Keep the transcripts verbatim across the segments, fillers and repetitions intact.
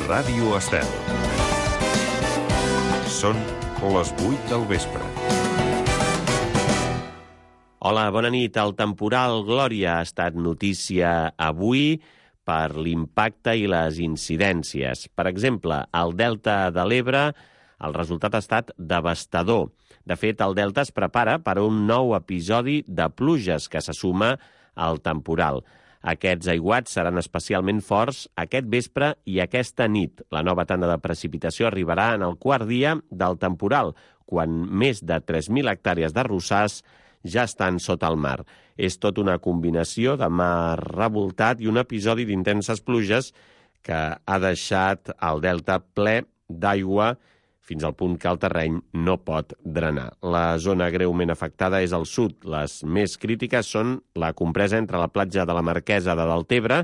Ràdio Estel. Són les vuit del vespre. Hola, bona nit. El temporal Glòria ha estat notícia avui per l'impacte i les incidències. Per exemple, al Delta de l'Ebre el resultat ha estat devastador. De fet, el Delta es prepara per a un nou episodi de pluges que se suma al temporal. Aquests aiguats seran especialment forts aquest vespre i aquesta nit. La nova tanda de precipitació arribarà en el quart dia del temporal, quan més de tres mil hectàrees d'arrossars ja estan sota el mar. És tot una combinació de mar revoltat i un episodi d'intenses pluges que ha deixat el delta ple d'aigua fins al punt que el terreny no pot drenar. La zona greument afectada és al sud. Les més crítiques són la compresa entre la platja de la Marquesa de Deltebre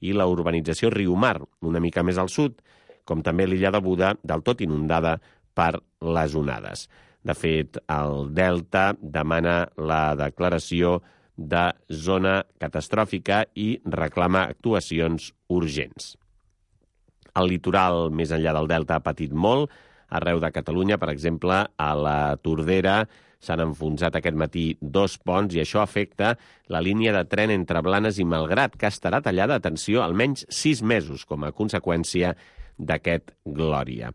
i la urbanització Riumar, una mica més al sud, com també l'illa de Buda, del tot inundada per les onades. De fet, el Delta demana la declaració de zona catastròfica i reclama actuacions urgents. El litoral més enllà del Delta ha patit molt. Arreu de Catalunya, per exemple, a la Tordera s'han enfonsat aquest matí dos ponts i això afecta la línia de tren entre Blanes i Malgrat, que estarà tallada, atenció, almenys sis mesos com a conseqüència d'aquest Glòria.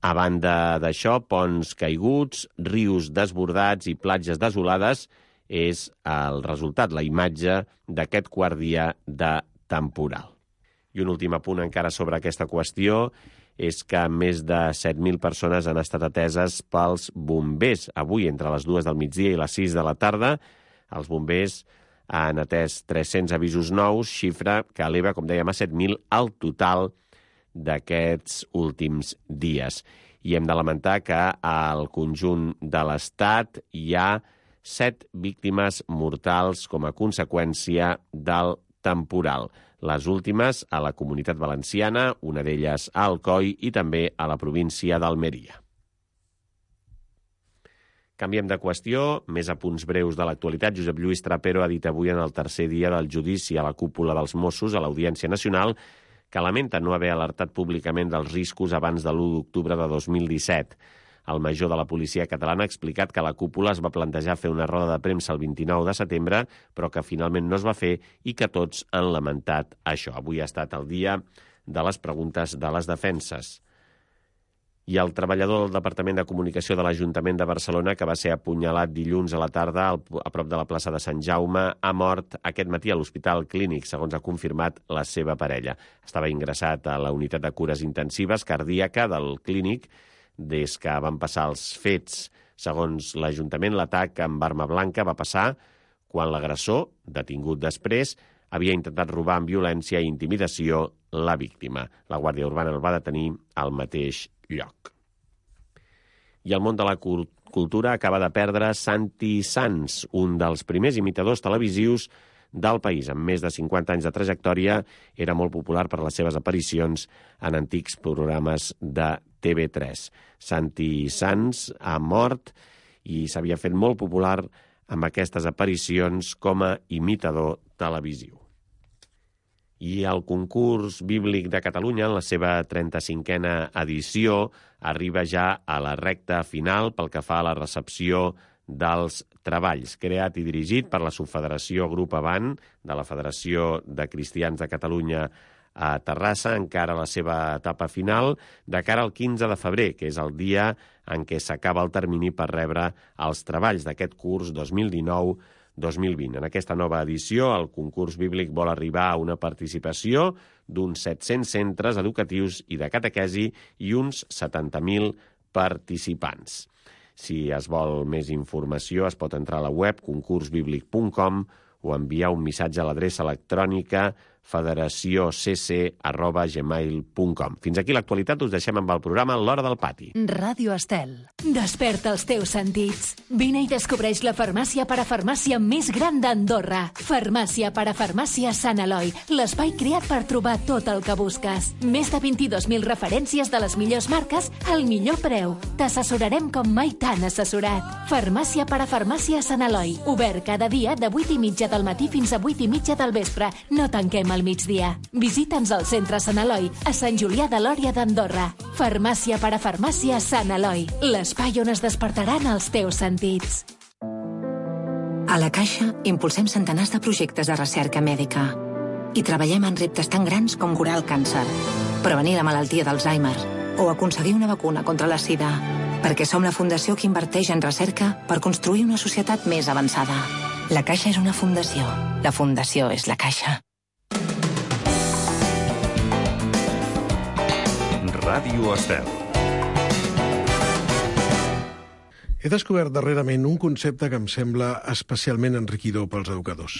A banda d'això, ponts caiguts, rius desbordats i platges desolades és el resultat, la imatge d'aquest quart dia de temporal. I un últim apunt encara sobre aquesta qüestió és que més de set mil persones han estat ateses pels bombers. Avui, entre les dues del migdia i les sis de la tarda, els bombers han atès tres-cents avisos nous, xifra que eleva, com dèiem, a set mil al total d'aquests últims dies. I hem de lamentar que al conjunt de l'Estat hi ha set víctimes mortals com a conseqüència del temporal. Les últimes a la Comunitat Valenciana, una d'elles a Alcoi i també a la província d'Almeria. Canviem de qüestió, més apunts breus de l'actualitat. Josep Lluís Trapero ha dit avui en el tercer dia del judici a la cúpula dels Mossos a l'Audiència Nacional que lamenta no haver alertat públicament dels riscos abans de l'u d'octubre de dos mil disset. El major de la policia catalana ha explicat que la cúpula es va plantejar fer una roda de premsa el vint-i-nou de setembre, però que finalment no es va fer i que tots han lamentat això. Avui ha estat el dia de les preguntes de les defenses. I el treballador del Departament de Comunicació de l'Ajuntament de Barcelona, que va ser apunyalat dilluns a la tarda a prop de la plaça de Sant Jaume, ha mort aquest matí a l'Hospital Clínic, segons ha confirmat la seva parella. Estava ingressat a la unitat de cures intensives cardíaca del Clínic des que van passar els fets. Segons l'Ajuntament, l'atac amb arma blanca va passar quan l'agressor, detingut després, havia intentat robar amb violència i intimidació la víctima. La Guàrdia Urbana el va detenir al mateix lloc. I el món de la cultura acaba de perdre Santi Sans, un dels primers imitadors televisius del país. Amb més de cinquanta anys de trajectòria, era molt popular per les seves aparicions en antics programes de T V tres. Santi Sans ha mort i s'havia fet molt popular amb aquestes aparicions com a imitador televisiu. I el concurs bíblic de Catalunya, en la seva trenta-cinquena edició, arriba ja a la recta final pel que fa a la recepció dels treballs. Creat i dirigit per la Subfederació Grup Avant de la Federació de Cristians de Catalunya a Terrassa, encara la seva etapa final, de cara al quinze de febrer, que és el dia en què s'acaba el termini per rebre els treballs d'aquest curs dos mil dinou dos mil vint. En aquesta nova edició, el concurs bíblic vol arribar a una participació d'uns set-cents centres educatius i de catequesi i uns setanta mil participants. Si es vol més informació, es pot entrar a la web concurs bíblic punt com o enviar un missatge a l'adreça electrònica federatiocc arroba gmail punt com. Fins aquí l'actualitat, us deixem amb el programa L'Hora del Pati. Ràdio Estel. Desperta els teus sentits. Vine i descobreix la farmàcia parafarmàcia més gran d'Andorra. Farmàcia parafarmàcia Sant Eloi, l'espai creat per trobar tot el que busques. Més de vint-i-dos mil referències de les millors marques al millor preu. T'assessorarem com mai t'han assessorat. Farmàcia parafarmàcia Sant Eloi. Obert cada dia de vuit i mitja del matí fins a vuit i mitja del vespre. No tanquem al migdia. Visita'ns al centre Sant Eloi, a Sant Julià de Lòria d'Andorra. Farmàcia per a farmàcia Sant Eloi, l'espai on es despertaran els teus sentits. A la Caixa impulsem centenars de projectes de recerca mèdica i treballem en reptes tan grans com curar el càncer, prevenir la malaltia d'Alzheimer o aconseguir una vacuna contra la sida, perquè som la fundació que inverteix en recerca per construir una societat més avançada. La Caixa és una fundació. La fundació és la Caixa. Ràdio Estel. He descobert darrerament un concepte que em sembla especialment enriquidor pels educadors.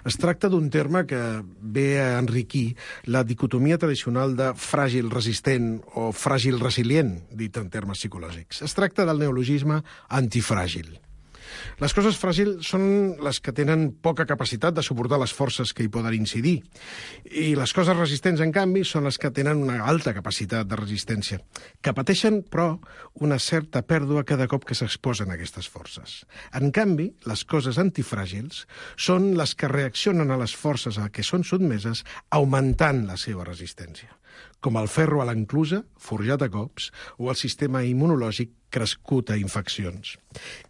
Es tracta d'un terme que ve a enriquir la dicotomia tradicional de fràgil resistent o fràgil resilient, dit en termes psicològics. Es tracta del neologisme antifràgil. Les coses fràgils són les que tenen poca capacitat de suportar les forces que hi poden incidir. I les coses resistents, en canvi, són les que tenen una alta capacitat de resistència, que pateixen, però, una certa pèrdua cada cop que s'exposen a aquestes forces. En canvi, les coses antifràgils són les que reaccionen a les forces a què són sotmeses, augmentant la seva resistència, com el ferro a l'enclusa, forjat a cops, o el sistema immunològic crescut a infeccions.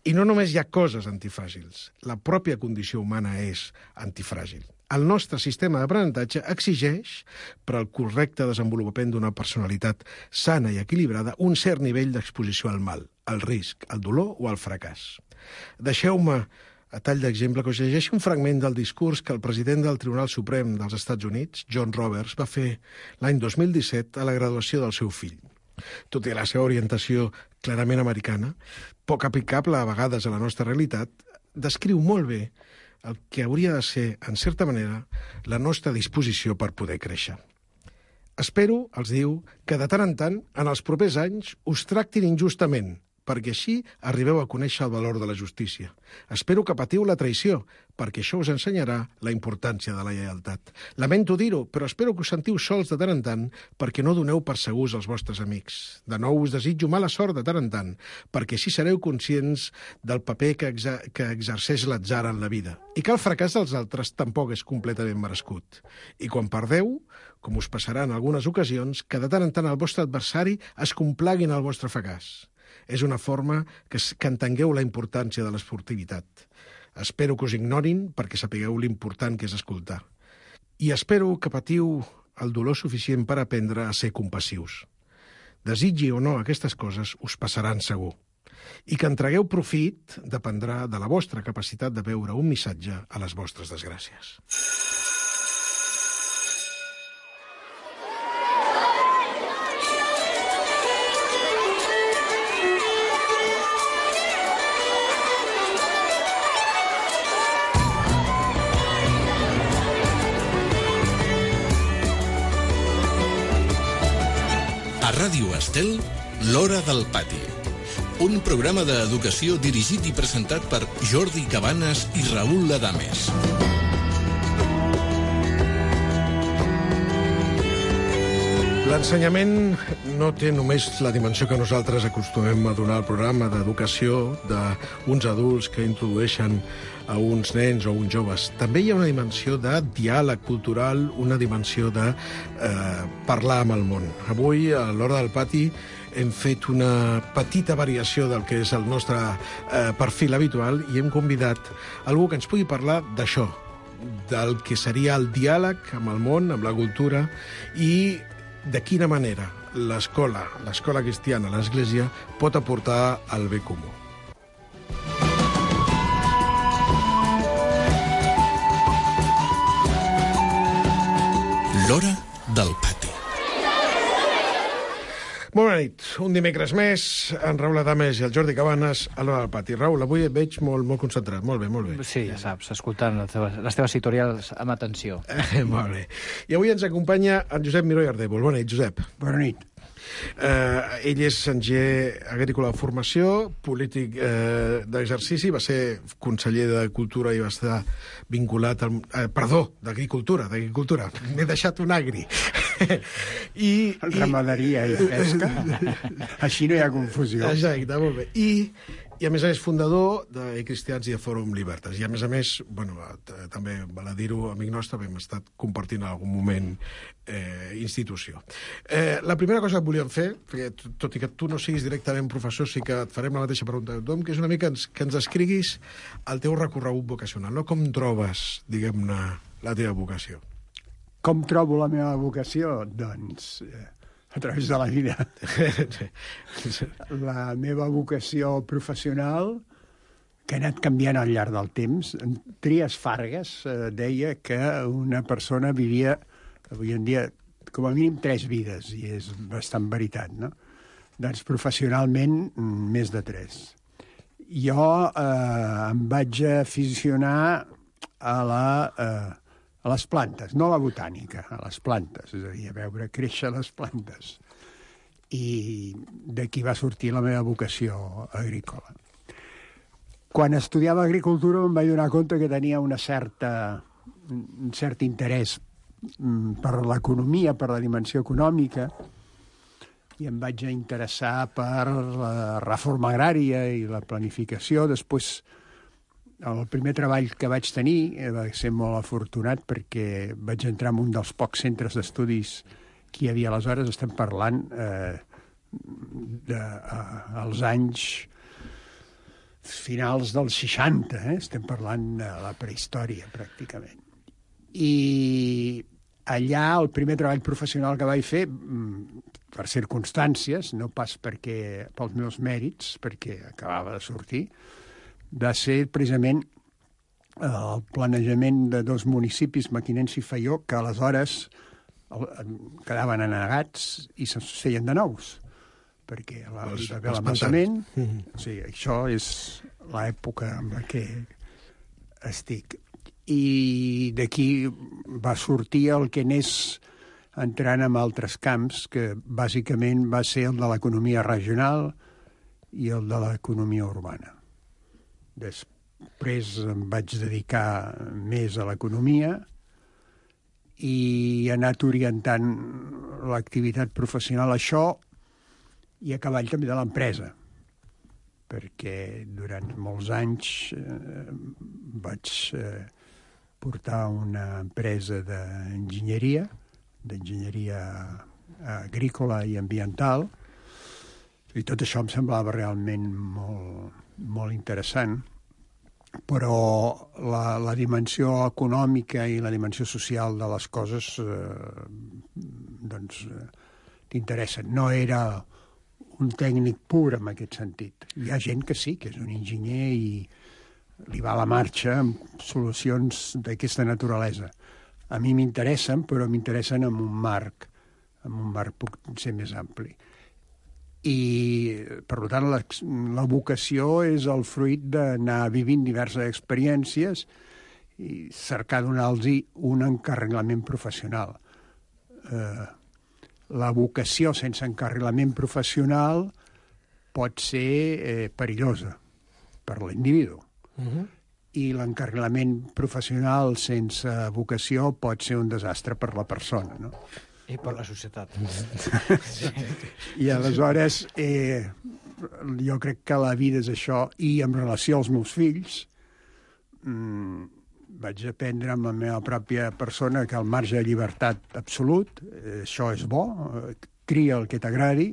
I no només hi ha coses antifràgils, la pròpia condició humana és antifràgil. El nostre sistema d'aprenentatge exigeix, per al correcte desenvolupament d'una personalitat sana i equilibrada, un cert nivell d'exposició al mal, al risc, al dolor o al fracàs. Deixeu-me, a tall d'exemple, que us llegeixi un fragment del discurs que el president del Tribunal Suprem dels Estats Units, John Roberts, va fer l'any dos mil disset a la graduació del seu fill. Tot i la seva orientació clarament americana, poc aplicable a vegades a la nostra realitat, descriu molt bé el que hauria de ser, en certa manera, la nostra disposició per poder créixer. Espero, els diu, que de tant en tant, en els propers anys, us tractin injustament, perquè així arribeu a conèixer el valor de la justícia. Espero que patiu la traïció, perquè això us ensenyarà la importància de la lleialtat. Lamento dir-ho, però espero que us sentiu sols de tant en tant, perquè no doneu per segurs als vostres amics. De nou us desitjo mala sort de tant en tant, perquè així sereu conscients del paper que, exa que exerceix l'atzar en la vida, i que el fracàs dels altres tampoc és completament merescut. I quan perdeu, com us passarà en algunes ocasions, que de tant en tant el vostre adversari es complagui en el vostre fracàs. És una forma que, que entengueu la importància de l'esportivitat. Espero que us ignorin perquè sapigueu l'important que és escoltar. I espero que patiu el dolor suficient per aprendre a ser compassius. Desitgi o no aquestes coses, us passaran segur. I que en tragueu profit dependrà de la vostra capacitat de veure un missatge a les vostres desgràcies. A Ràdio Estel, l'Hora del Pati. Un programa d'educació dirigit i presentat per Jordi Cabanes i Raül Ladames. L'ensenyament no té només la dimensió que nosaltres acostumem a donar al programa d'educació d'uns adults que introdueixen a uns nens o uns joves. També hi ha una dimensió de diàleg cultural, una dimensió de eh, parlar amb el món. Avui, a l'Hora del Pati, hem fet una petita variació del que és el nostre eh, perfil habitual i hem convidat algú que ens pugui parlar d'això, del que seria el diàleg amb el món, amb la cultura, i de quina manera l'escola, l'escola cristiana, l'Església, pot aportar al bé comú. L'Hora del Pati. Molt bona nit. Un dimecres més, en Raül Ladames i el Jordi Cabanes a l'Hora del Pati. Raül, avui et veig molt, molt concentrat. Molt bé, molt bé. Sí, ja saps, escoltant les teves, les teves tutorials amb atenció. Eh, molt bé. I avui ens acompanya en Josep Miró i Ardèvol. Bona nit, Josep. Bona nit. Eh, ell és enginyer agrícola de formació, polític eh, d'exercici, va ser conseller de Cultura i va estar vinculat al... Eh, perdó, d'agricultura, d'agricultura. M'he deixat un agri. I, Ramaderia i pesca. Així no hi ha confusió. Exacte, molt bé. I, I, a més a més, fundador de Cristians i de Fòrum Libertas. I, a més a més, bueno, també val a dir-ho, amic nostre, hem estat compartint en algun moment eh, institució. Eh, la primera cosa que volíem fer, perquè tot i que tu no siguis directament professor, sí que et farem la mateixa pregunta que tothom, que és una mica ens, que ens escriguis el teu recorregut vocacional, no? Com trobes, diguem-ne, la teva vocació? Com trobo la meva vocació? Doncs... Eh... a través de la vida. La meva vocació professional, que ha anat canviant al llarg del temps, Trias Fargas eh, deia que una persona vivia, avui en dia, com a mínim tres vides, i és bastant veritat, no? Doncs professionalment, més de tres. Jo eh, em vaig aficionar a la... Eh, a les plantes, no a la botànica, a les plantes, és a dir, a veure créixer les plantes. I d'aquí va sortir la meva vocació agrícola. Quan estudiava agricultura em vaig donar compte que tenia una certa, un cert interès per l'economia, per la dimensió econòmica, i em vaig interessar per la reforma agrària i la planificació. Després, el primer treball que vaig tenir va ser molt afortunat perquè vaig entrar en un dels pocs centres d'estudis que hi havia aleshores. Estem parlant eh, de, eh, als anys finals dels seixanta, eh? Estem parlant de la prehistòria, pràcticament. I allà el primer treball professional que vaig fer, per circumstàncies, no pas perquè pels meus mèrits, perquè acabava de sortir, va ser precisament el planejament de dos municipis, Mequinensa i Faió, que aleshores quedaven anegats i se'n feien de nous, perquè la, hi va haver l'amantament. O sigui, això és l'època en la que estic. I d'aquí va sortir el que anés entrant en altres camps, que bàsicament va ser el de l'economia regional i el de l'economia urbana. Després em vaig dedicar més a l'economia i he anat orientant l'activitat professional a això i a cavall també de l'empresa, perquè durant molts anys eh, vaig eh, portar una empresa d'enginyeria, d'enginyeria agrícola i ambiental, i tot això em semblava realment molt... molt interessant, però la, la dimensió econòmica i la dimensió social de les coses eh, doncs eh, t'interessen. No era un tècnic pur en aquest sentit. Hi ha gent que sí, que és un enginyer i li va a la marxa amb solucions d'aquesta naturalesa. A mi m'interessen, però m'interessen en un marc, en un marc potser més ampli. I, per tant, la, la vocació és el fruit d'anar vivint diverses experiències i cercar donar-los un encarrilament professional. Eh, la vocació sense encarrilament professional pot ser eh, perillosa per l'individu. Uh-huh. I l'encarrilament professional sense vocació pot ser un desastre per la persona, no? I per la societat. Sí. I aleshores, eh, jo crec que la vida és això. I en relació als meus fills, mmm, vaig aprendre amb la meva pròpia persona que al marge de llibertat absolut, eh, això és bo, eh, cria el que t'agradi,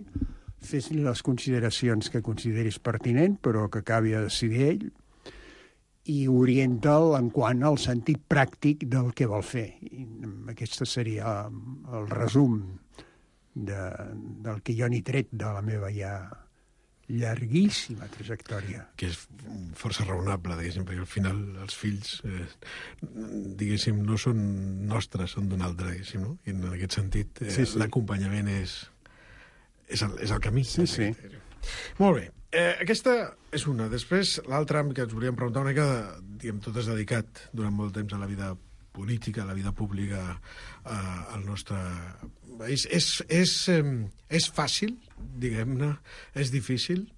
fes-li les consideracions que consideris pertinent, però que acabi a decidir ell, i orienta'l en quant al sentit pràctic del que vol fer. I aquest seria el resum de, del que jo n'he tret de la meva ja llarguíssima trajectòria. Que és força raonable, diguéssim, perquè al final els fills, eh, diguéssim, no són nostres, són d'un altre, diguéssim, no? I en aquest sentit, eh, sí, sí. L'acompanyament és, és, el, és el camí. Sí, sí. Molt bé. Eh, aquesta és una. Després, l'altra que ens volíem preguntar una mica, diguem, tot és dedicat durant molt temps a la vida política, a la vida pública eh, al nostre país. És, és, eh, és fàcil, diguem-ne? És difícil?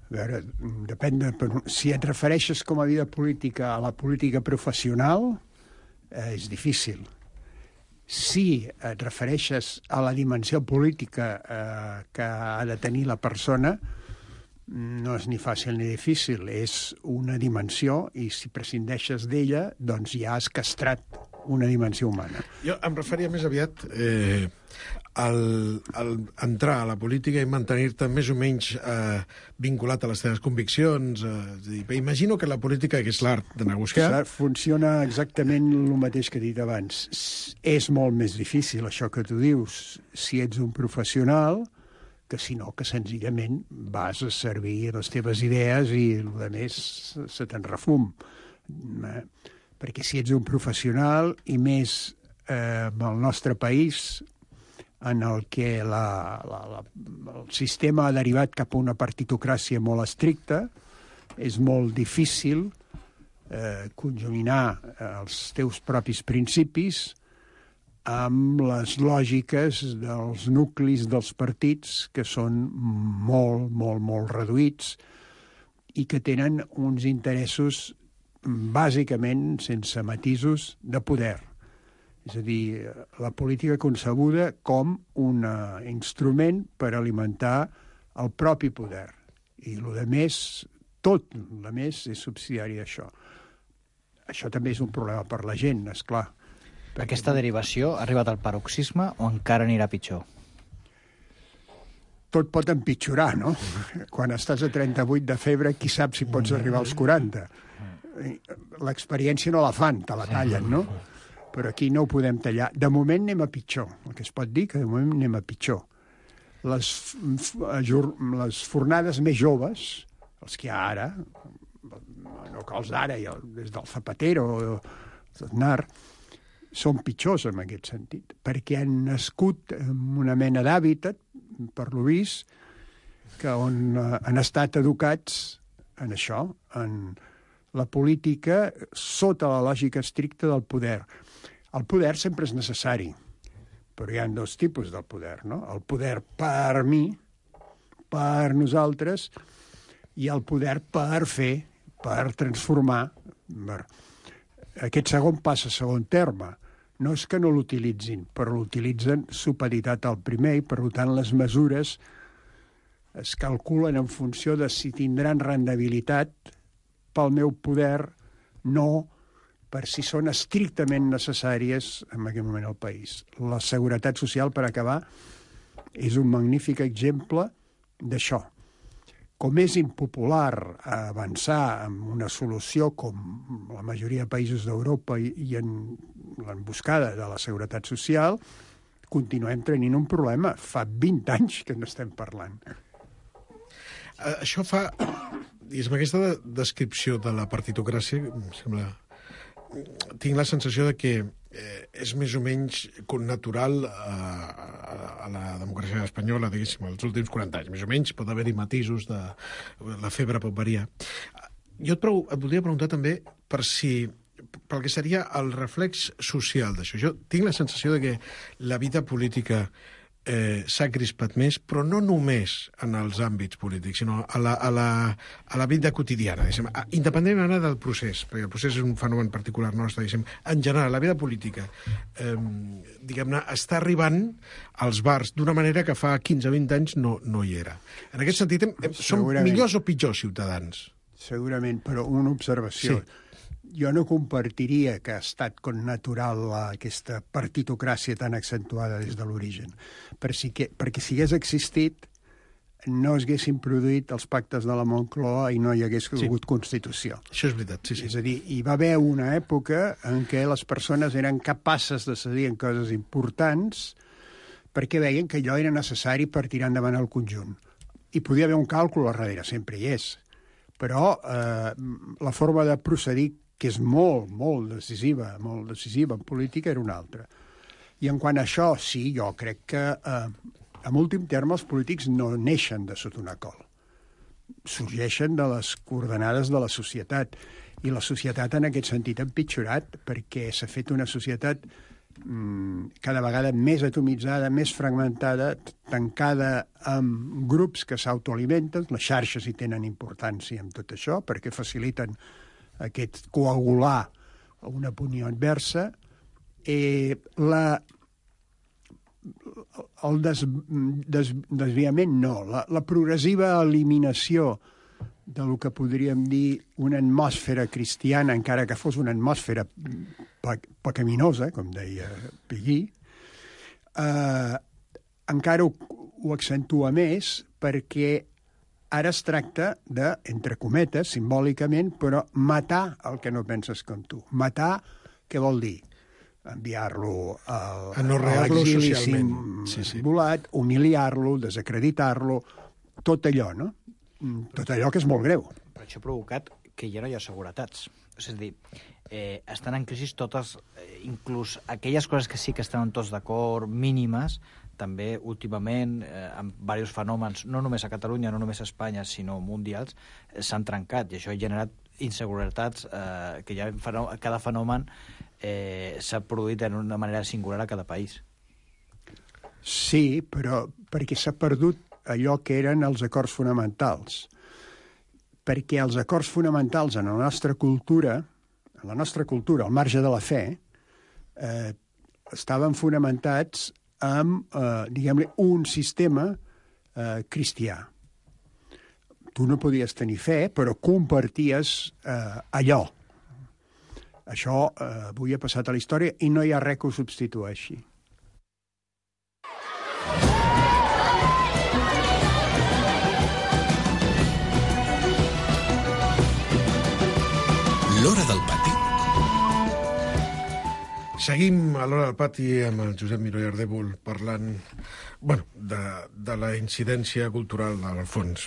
A veure, depèn de... Si et refereixes com a vida política a la política professional, eh, és difícil. Si et refereixes a la dimensió política eh, que ha de tenir la persona, no és ni fàcil ni difícil, és una dimensió i si prescindeixes d'ella, doncs ja has castrat una dimensió humana. Jo em referia més aviat eh, al, al entrar a la política i mantenir-te més o menys eh, vinculat a les teves conviccions. Eh, imagino que la política, que és l'art de negociar... Funciona exactament el mateix que he dit abans. És molt més difícil, això que tu dius, si ets un professional, que si no, que senzillament vas a servir les teves idees i el que més se te'n refum. Eh? Perquè si ets un professional, i més eh, en el nostre país, en el que la, la, la, el sistema ha derivat cap a una partitocràcia molt estricta, és molt difícil eh, conjuminar els teus propis principis amb les lògiques dels nuclis dels partits, que són molt, molt, molt reduïts i que tenen uns interessos bàsicament, sense matisos, de poder. És a dir, la política concebuda com un instrument per alimentar el propi poder. I el de més, tot el de més és subsidiari d'això. Això també és un problema per la gent, esclar. Aquesta derivació ha arribat al paroxisme o encara anirà pitjor? Tot pot empitjorar, no? Quan estàs a trenta-vuit de febre, qui sap si pots arribar als quaranta. L'experiència no la fan, te la tallen, no? Però aquí no ho podem tallar. De moment anem a pitjor. El que es pot dir que de moment anem a pitjor. Les, les fornades més joves, els que hi ha ara, no que els d'ara, des del Zapatero o d'Aznar, són pitjors en aquest sentit, perquè han nascut en una mena d'hàbitat, per lo vist, que on han estat educats en això, en la política sota la lògica estricta del poder. El poder sempre és necessari, però hi ha dos tipus del poder, no? El poder per mi, per nosaltres, i el poder per fer, per transformar. Aquest segon passa a segon terme. No és que no l'utilitzin, però l'utilitzen supeditat al primer i, per tant, les mesures es calculen en funció de si tindran rendibilitat pel meu poder, no per si són estrictament necessàries en aquest moment al país. La seguretat social, per acabar, és un magnífic exemple d'això. Com és impopular avançar en una solució com la majoria de països d'Europa i, i en l'emboscada de la seguretat social, continuem tenint un problema. Fa vint anys que n'estem parlant. Això fa... Diguéssim, aquesta descripció de la partitocràcia, em sembla... Tinc la sensació de que eh, és més o menys natural a, a, a la democràcia espanyola, diguéssim, els últims quaranta anys. Més o menys pot haver-hi matisos, de, la febre pot variar. Jo et, prou, et voldria preguntar també per si pel que seria el reflex social d'això. Jo tinc la sensació de que la vida política eh, s'ha crispat més, però no només en els àmbits polítics, sinó a la, a la, a la vida quotidiana, diguéssim. Independentment ara del procés, perquè el procés és un fenomen particular nostre, diguéssim. En general, la vida política, eh, diguem-ne, està arribant als bars d'una manera que fa quinze o vint anys no, no hi era. En aquest sentit, som millors o pitjors ciutadans? Segurament, però una observació. Sí. Jo no compartiria que ha estat connatural aquesta partitocràcia tan accentuada des de l'origen, perquè, perquè si hagués existit no es haguessin produït els pactes de la Moncloa i no hi hagués hagut sí. Constitució. Això és veritat, sí, sí. És a dir, hi va haver una època en què les persones eren capaces de decidir en coses importants perquè veien que allò era necessari per tirar endavant el conjunt. Hi podia haver un càlcul a darrere, sempre hi és, però eh, la forma de procedir, que és molt, molt decisiva, molt decisiva en política, era una altra. I en quant a això, sí, jo crec que, eh, en últim terme, els polítics no neixen de sota una col. Sorgeixen de les coordenades de la societat. I la societat, en aquest sentit, ha empitjorat, perquè s'ha fet una societat mm, cada vegada més atomitzada, més fragmentada, tancada amb grups que s'autoalimenten. Les xarxes hi tenen importància en tot això, perquè faciliten aquest coagular una opinió adversa. Eh, la, el des, des, desviament no, la, la progressiva eliminació de lo que podríem dir una atmosfera cristiana, encara que fos una atmosfera pe pecaminosa, com deia Pigui, eh, encara ho, ho accentua més perquè ara es tracta de, entre cometes, simbòlicament, però matar el que no penses com tu. Matar, què vol dir? Enviar-lo a l'exili simulat, sí, sí. humiliar-lo, desacreditar-lo, tot allò, no? Tot allò que és molt greu. Però això ha provocat que ja no hi ha seguretats. És a dir, eh, estan en crisi totes, eh, inclús aquelles coses que sí que estaven tots d'acord, mínimes, també últimament, eh, amb diversos fenòmens, no només a Catalunya, no només a Espanya, sinó mundials, eh, s'han trencat, i això ha generat inseguretats, eh, que ja fenò cada fenomen eh, s'ha produït d'una manera singular a cada país. Sí, però perquè s'ha perdut allò que eren els acords fonamentals. Perquè els acords fonamentals en la nostra cultura, en la nostra cultura, al marge de la fe, eh, estaven fonamentats amb, eh, diguem-ne, un sistema eh, cristià. Tu no podies tenir fe, però comparties eh, allò. Això eh, avui ha passat a la història i no hi ha res que ho substitueixi. L'Hora del Pati. Seguim a l'Hora del Pati amb el Josep Miró i Ardèvol parlant bueno, de, de la incidència cultural al fons.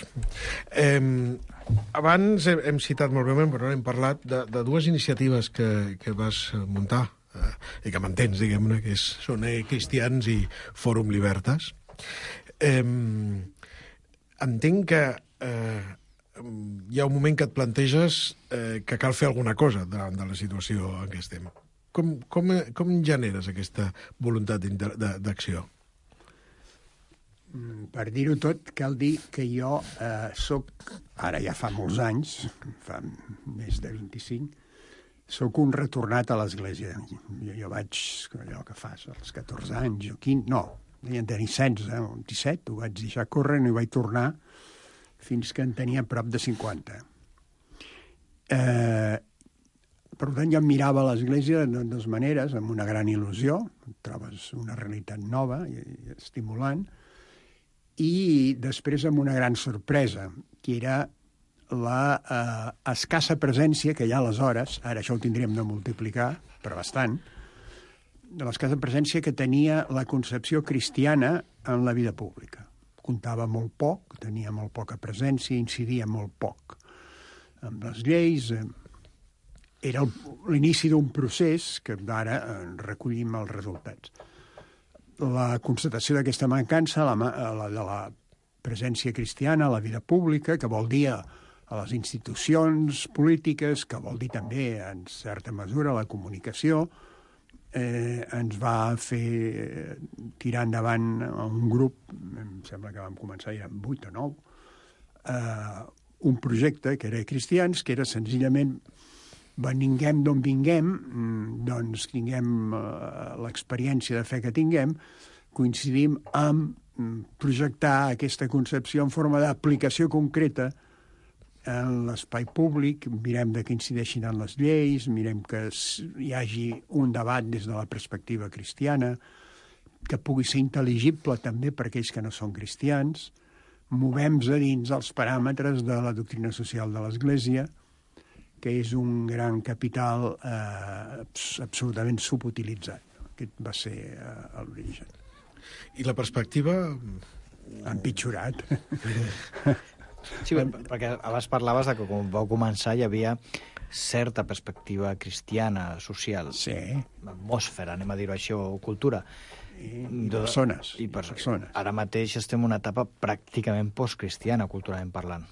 Eh, abans hem, hem citat molt breument, però hem parlat de, de dues iniciatives que, que vas muntar eh, i que mantens, diguem-ne, que és, són eh, Cristians i Fòrum Libertas. Eh, entenc que eh, hi ha un moment que et planteges eh, que cal fer alguna cosa davant de la situació en què estem. Com, com, com generes aquesta voluntat d'acció? Per dir-ho tot, cal dir que jo eh, soc, ara ja fa molts anys, fa més de vint-i-cinc, soc un retornat a l'església. Jo, jo vaig, allò que fas, als catorze anys o quinze, no, devien tenir setze o disset, ho vaig deixar córrer i no hi vaig tornar fins que en tenia prop de cinquanta. Eh, per tant, jo em mirava a l'església de dues maneres, amb una gran il·lusió, trobes una realitat nova i, i estimulant, i després amb una gran sorpresa, que era la eh, escassa presència que hi ha aleshores, ara això ho tindríem de multiplicar, però bastant, de l'escassa presència que tenia la concepció cristiana en la vida pública. Comptava molt poc, tenia molt poca presència, incidia molt poc amb les lleis. Eh, era l'inici d'un procés que ara recollim els resultats. La constatació d'aquesta mancança, la, la de la presència cristiana a la vida pública, que vol dir a les institucions polítiques, que vol dir també, en certa mesura, la comunicació, eh, ens va fer tirar endavant un grup, em sembla que vam començar, eren vuit o nou, eh, un projecte que era Cristians, que era senzillament vinguem d'on vinguem, doncs tinguem l'experiència de fe que tinguem, coincidim amb projectar aquesta concepció en forma d'aplicació concreta en l'espai públic, mirem de què incideixin en les lleis, mirem que hi hagi un debat des de la perspectiva cristiana, que pugui ser intel·ligible també per aquells que no són cristians, movem-nos a dins els paràmetres de la doctrina social de l'Església, que és un gran capital eh, absolutament subutilitzat. Aquest va ser eh, l'origen. I la perspectiva? Ha empitjorat. Sí, perquè abans parlaves de que quan vau començar hi havia certa perspectiva cristiana, social, sí. Atmosfera, anem a dir-ho així, o cultura. I, i persones. I per... persones. Ara mateix estem en una etapa pràcticament postcristiana, culturalment parlant.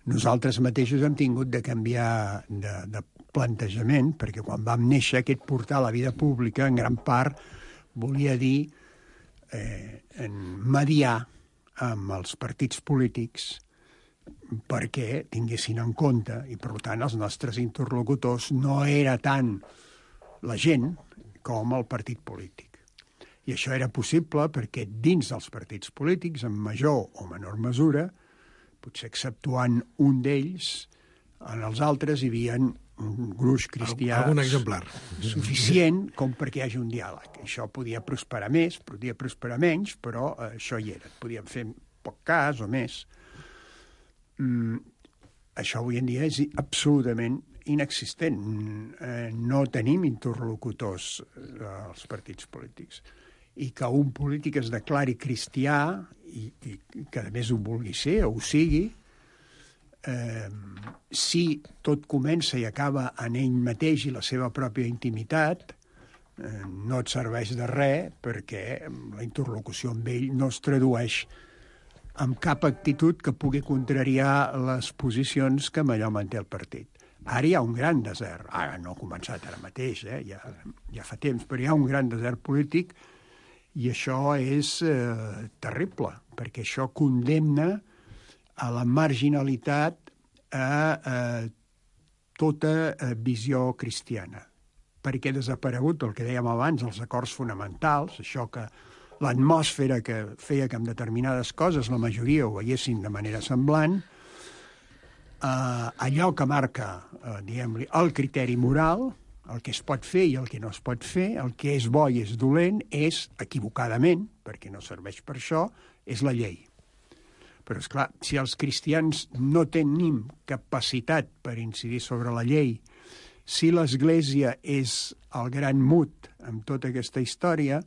Nosaltres mateixos hem tingut de canviar de, de plantejament, perquè quan vam néixer aquest portal a la vida pública, en gran part, volia dir eh, en mediar amb els partits polítics perquè tinguessin en compte, i per tant els nostres interlocutors no era tant la gent com el partit polític. I això era possible perquè dins dels partits polítics, en major o menor mesura, potser exceptuant un d'ells, en els altres hi havia un gruix cristià algun exemplar suficient com perquè hi hagi un diàleg. Això podia prosperar més, podia prosperar menys, però eh, això hi era. Podíem fer poc cas o més. Mm, això avui en dia és absolutament inexistent. Eh, no tenim interlocutors eh, als partits polítics. I que un polític es declari cristià i, i que a més ho vulgui ser o ho sigui, eh, si tot comença i acaba en ell mateix i la seva pròpia intimitat, eh, no et serveix de res perquè la interlocució amb ell no es tradueix amb cap actitud que pugui contrariar les posicions que amb allò manté el partit. Ara hi ha un gran desert. Ara no ha començat ara mateix, eh? ja, ja fa temps, però hi ha un gran desert polític i això és eh, terrible, perquè això condemna a la marginalitat a, a tota a visió cristiana. Perquè ha desaparegut el que dèiem abans, els acords fonamentals, això que l'atmosfera que feia que amb determinades coses la majoria ho veiessin de manera semblant, eh, allò que marca, eh, diguem-li, el criteri moral, el que es pot fer i el que no es pot fer, el que és bo i és dolent, és, equivocadament, perquè no serveix per això, és la llei. Però, esclar, si els cristians no tenim capacitat per incidir sobre la llei, si l'Església és el gran mut amb tota aquesta història,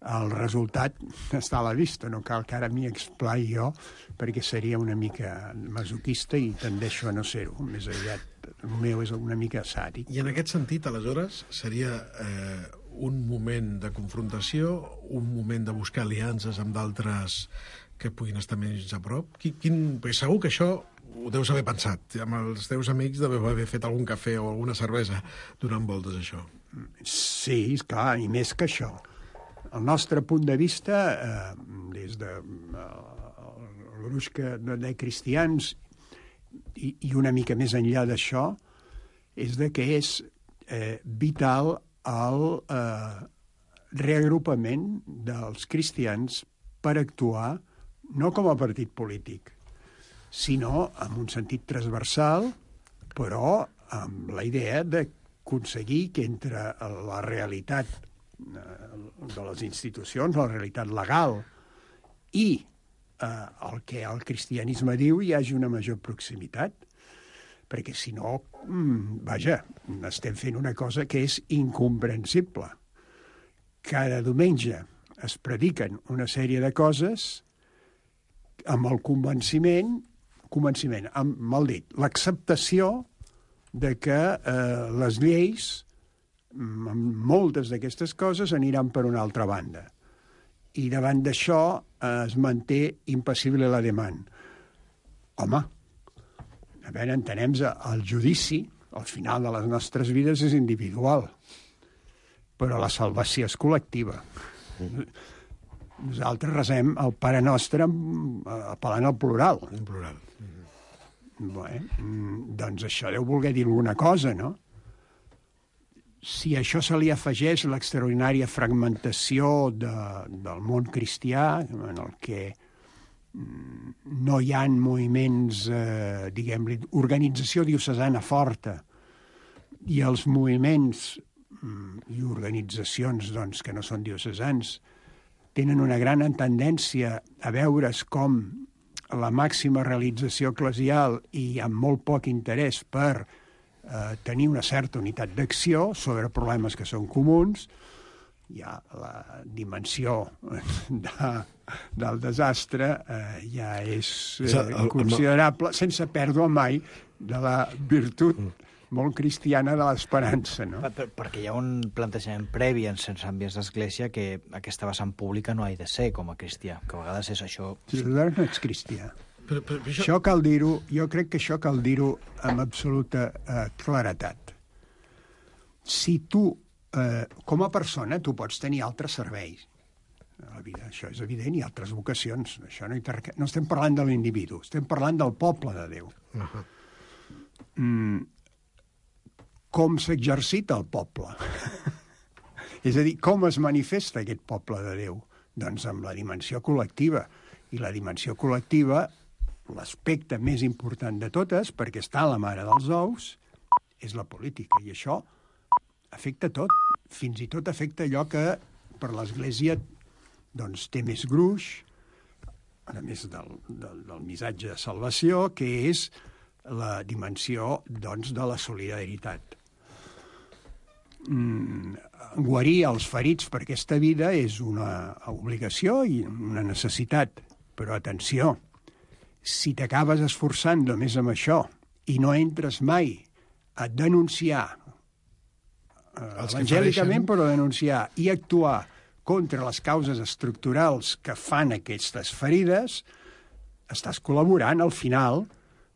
el resultat està a la vista. No cal que ara m'hi explai jo, perquè seria una mica masoquista i tendeixo a no ser-ho. Més aviat, el meu és una mica sàdic. I en aquest sentit, aleshores, seria eh, un moment de confrontació, un moment de buscar aliances amb d'altres que puguin estar més a prop? Quin, quin... Perquè segur que això ho deus haver pensat. Amb els teus amics deveu haver fet algun cafè o alguna cervesa donant voltes, això. Sí, esclar, i més que això. El nostre punt de vista, eh, des de eh, el gruix que, de cristians i, i una mica més enllà d'això, és de que és eh, vital el eh, reagrupament dels cristians per actuar no com a partit polític, sinó en un sentit transversal, però amb la idea d'aconseguir que entre la realitat de les institucions, la realitat legal i eh, el que el cristianisme diu hi hagi una major proximitat, perquè si no, mm, vaja, estem fent una cosa que és incomprensible. Cada diumenge es prediquen una sèrie de coses amb el convenciment, convenciment, amb, mal dit, l'acceptació de que eh, les lleis, moltes d'aquestes coses aniran per una altra banda. I davant d'això eh, es manté impassible la demanda. Home, a veure, entenem, el judici, al final de les nostres vides, és individual, però la salvació és col·lectiva. Nosaltres resem el Pare Nostre apel·lant al plural. En plural. Bé, doncs això deu voler dir alguna cosa, no? Si a això se li afegeix l'extraordinària fragmentació de, del món cristià, en el que no hi ha moviments, eh, diguem-li, organització diocesana forta, i els moviments i organitzacions doncs, que no són diocesans tenen una gran tendència a veure's com la màxima realització eclesial i amb molt poc interès per Eh, tenir una certa unitat d'acció sobre problemes que són comuns. Ja la dimensió de, del desastre eh, ja és eh, considerable, sense pèrdua mai de la virtut molt cristiana de l'esperança, no? Per, per, perquè hi ha un plantejament previ en certs àmbits d'església que aquesta vessant pública no ha de ser com a cristià, que a vegades és això... Si no ets cristià. Però, però, però això... això cal dir-ho, jo crec que això cal dir-ho amb absoluta eh, claretat. Si tu, eh, com a persona, tu pots tenir altres serveis a la vida, això és evident, i altres vocacions. Això no, inter... no estem parlant de l'individu, estem parlant del poble de Déu. Uh-huh. Mm, com s'exercita el poble? És a dir, com es manifesta aquest poble de Déu? Doncs amb la dimensió col·lectiva. I la dimensió col·lectiva, l'aspecte més important de totes, perquè està a la mare dels ous, és la política. I això afecta tot. Fins i tot afecta allò que per l'Església doncs, té més gruix, a més del, del, del missatge de salvació, que és la dimensió doncs, de la solidaritat. Mm, guarir els ferits per aquesta vida és una obligació i una necessitat, però atenció, si t'acabes esforçant només amb això i no entres mai a denunciar, eh, evangèlicament, però denunciar i actuar contra les causes estructurals que fan aquestes ferides, estàs col·laborant al final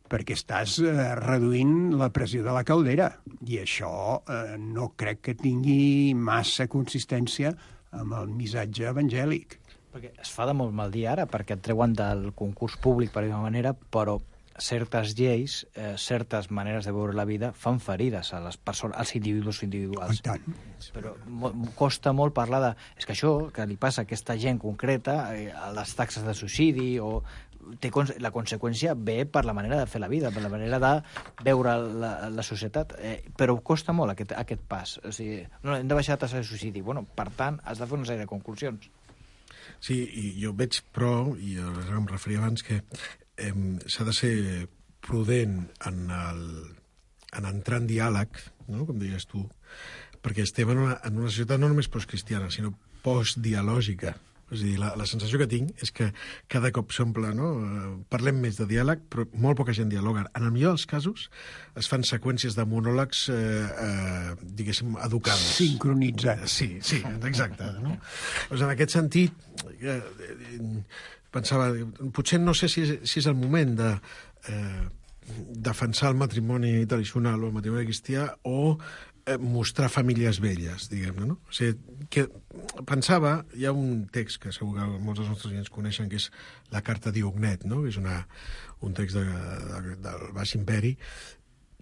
perquè estàs eh, reduint la pressió de la caldera. I això eh, no crec que tingui massa consistència amb el missatge evangèlic. Perquè es fa de molt mal dir ara, perquè et treuen del concurs públic, per dir-ho manera, però certes lleis, eh, certes maneres de veure la vida fan ferides a les persones, als individus individuals. I tant. Però mo, costa molt parlar de... És que això que li passa a aquesta gent concreta, eh, a les taxes de suïcidi, o té, la conseqüència ve per la manera de fer la vida, per la manera de veure la, la societat, eh, però costa molt aquest, aquest pas. O sigui, no, hem de baixar la taxa de suïcidi. Bueno, per tant, has de fer una sèrie de conclusions. Sí, i jo veig, però, i em referia abans, que eh, s'ha de ser prudent en, el, en entrar en diàleg, no? Com deies tu, perquè estem en una, en una societat no només postcristiana, sinó postdialògica. És a dir, la, la sensació que tinc és que cada cop s'omple, no? Parlem més de diàleg, però molt poca gent dialoga. En el millor dels casos es fan seqüències de monòlegs, eh, eh, diguéssim, educades. Sincronitzats. Sí, sí, exacte. No? Doncs en aquest sentit, eh, pensava, potser no sé si és, si és el moment de eh, defensar el matrimoni tradicional o el matrimoni cristià o mostrar famílies velles, diguem-ne, no? O sigui, que pensava, hi ha un text que segur que molts dels nostres clients coneixen, que és la Carta d'Iognet, no? Que és una, un text de, de, del Baix Imperi,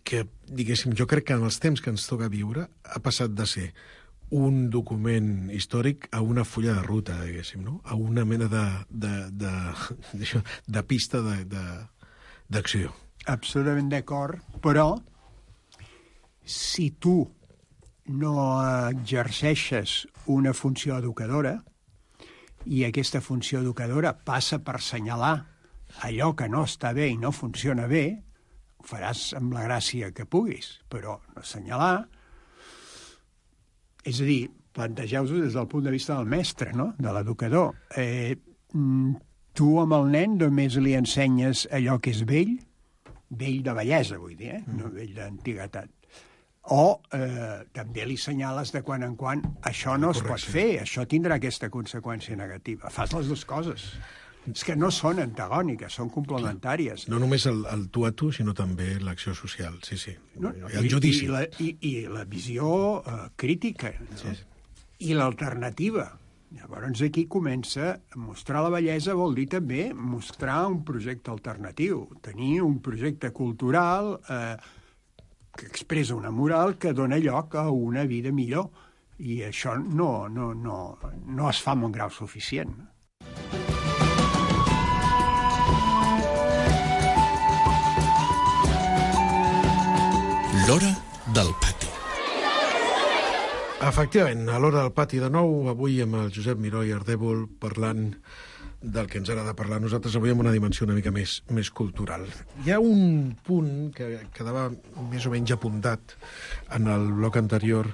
que, diguéssim, jo crec que en els temps que ens toca viure ha passat de ser un document històric a una fulla de ruta, diguéssim, no? A una mena de, de, de, de, de pista d'acció. Absolutament d'acord, però si tu no exerceixes una funció educadora i aquesta funció educadora passa per assenyalar allò que no està bé i no funciona bé, ho faràs amb la gràcia que puguis, però assenyalar, és a dir, plantegeu-vos des del punt de vista del mestre, no? De l'educador. Eh, tu amb el nen només li ensenyes allò que és vell, vell de bellesa, vull dir, eh? No vell d'antiguitat. O eh, també li senyales de quan en quan això no es pot fer, això tindrà aquesta conseqüència negativa. Fas les dues coses. És que no són antagòniques, són complementàries. No només el, el tu a tu, sinó també l'acció social, sí, sí. No, I el judici. I, i, la, i, i la visió uh, crítica, no? Sí, sí. I l'alternativa. Llavors aquí comença a mostrar la bellesa, vol dir també mostrar un projecte alternatiu, tenir un projecte cultural eh, que expressa una moral que dona lloc a una vida millor. I això no, no, no, no es fa amb un grau suficient. L'hora del pati. Efectivament, a l'hora del pati de nou, avui amb el Josep Miró i Ardèvol parlant del que ens agrada parlar nosaltres avui amb una dimensió una mica més, més cultural. Hi ha un punt que quedava més o menys apuntat en el bloc anterior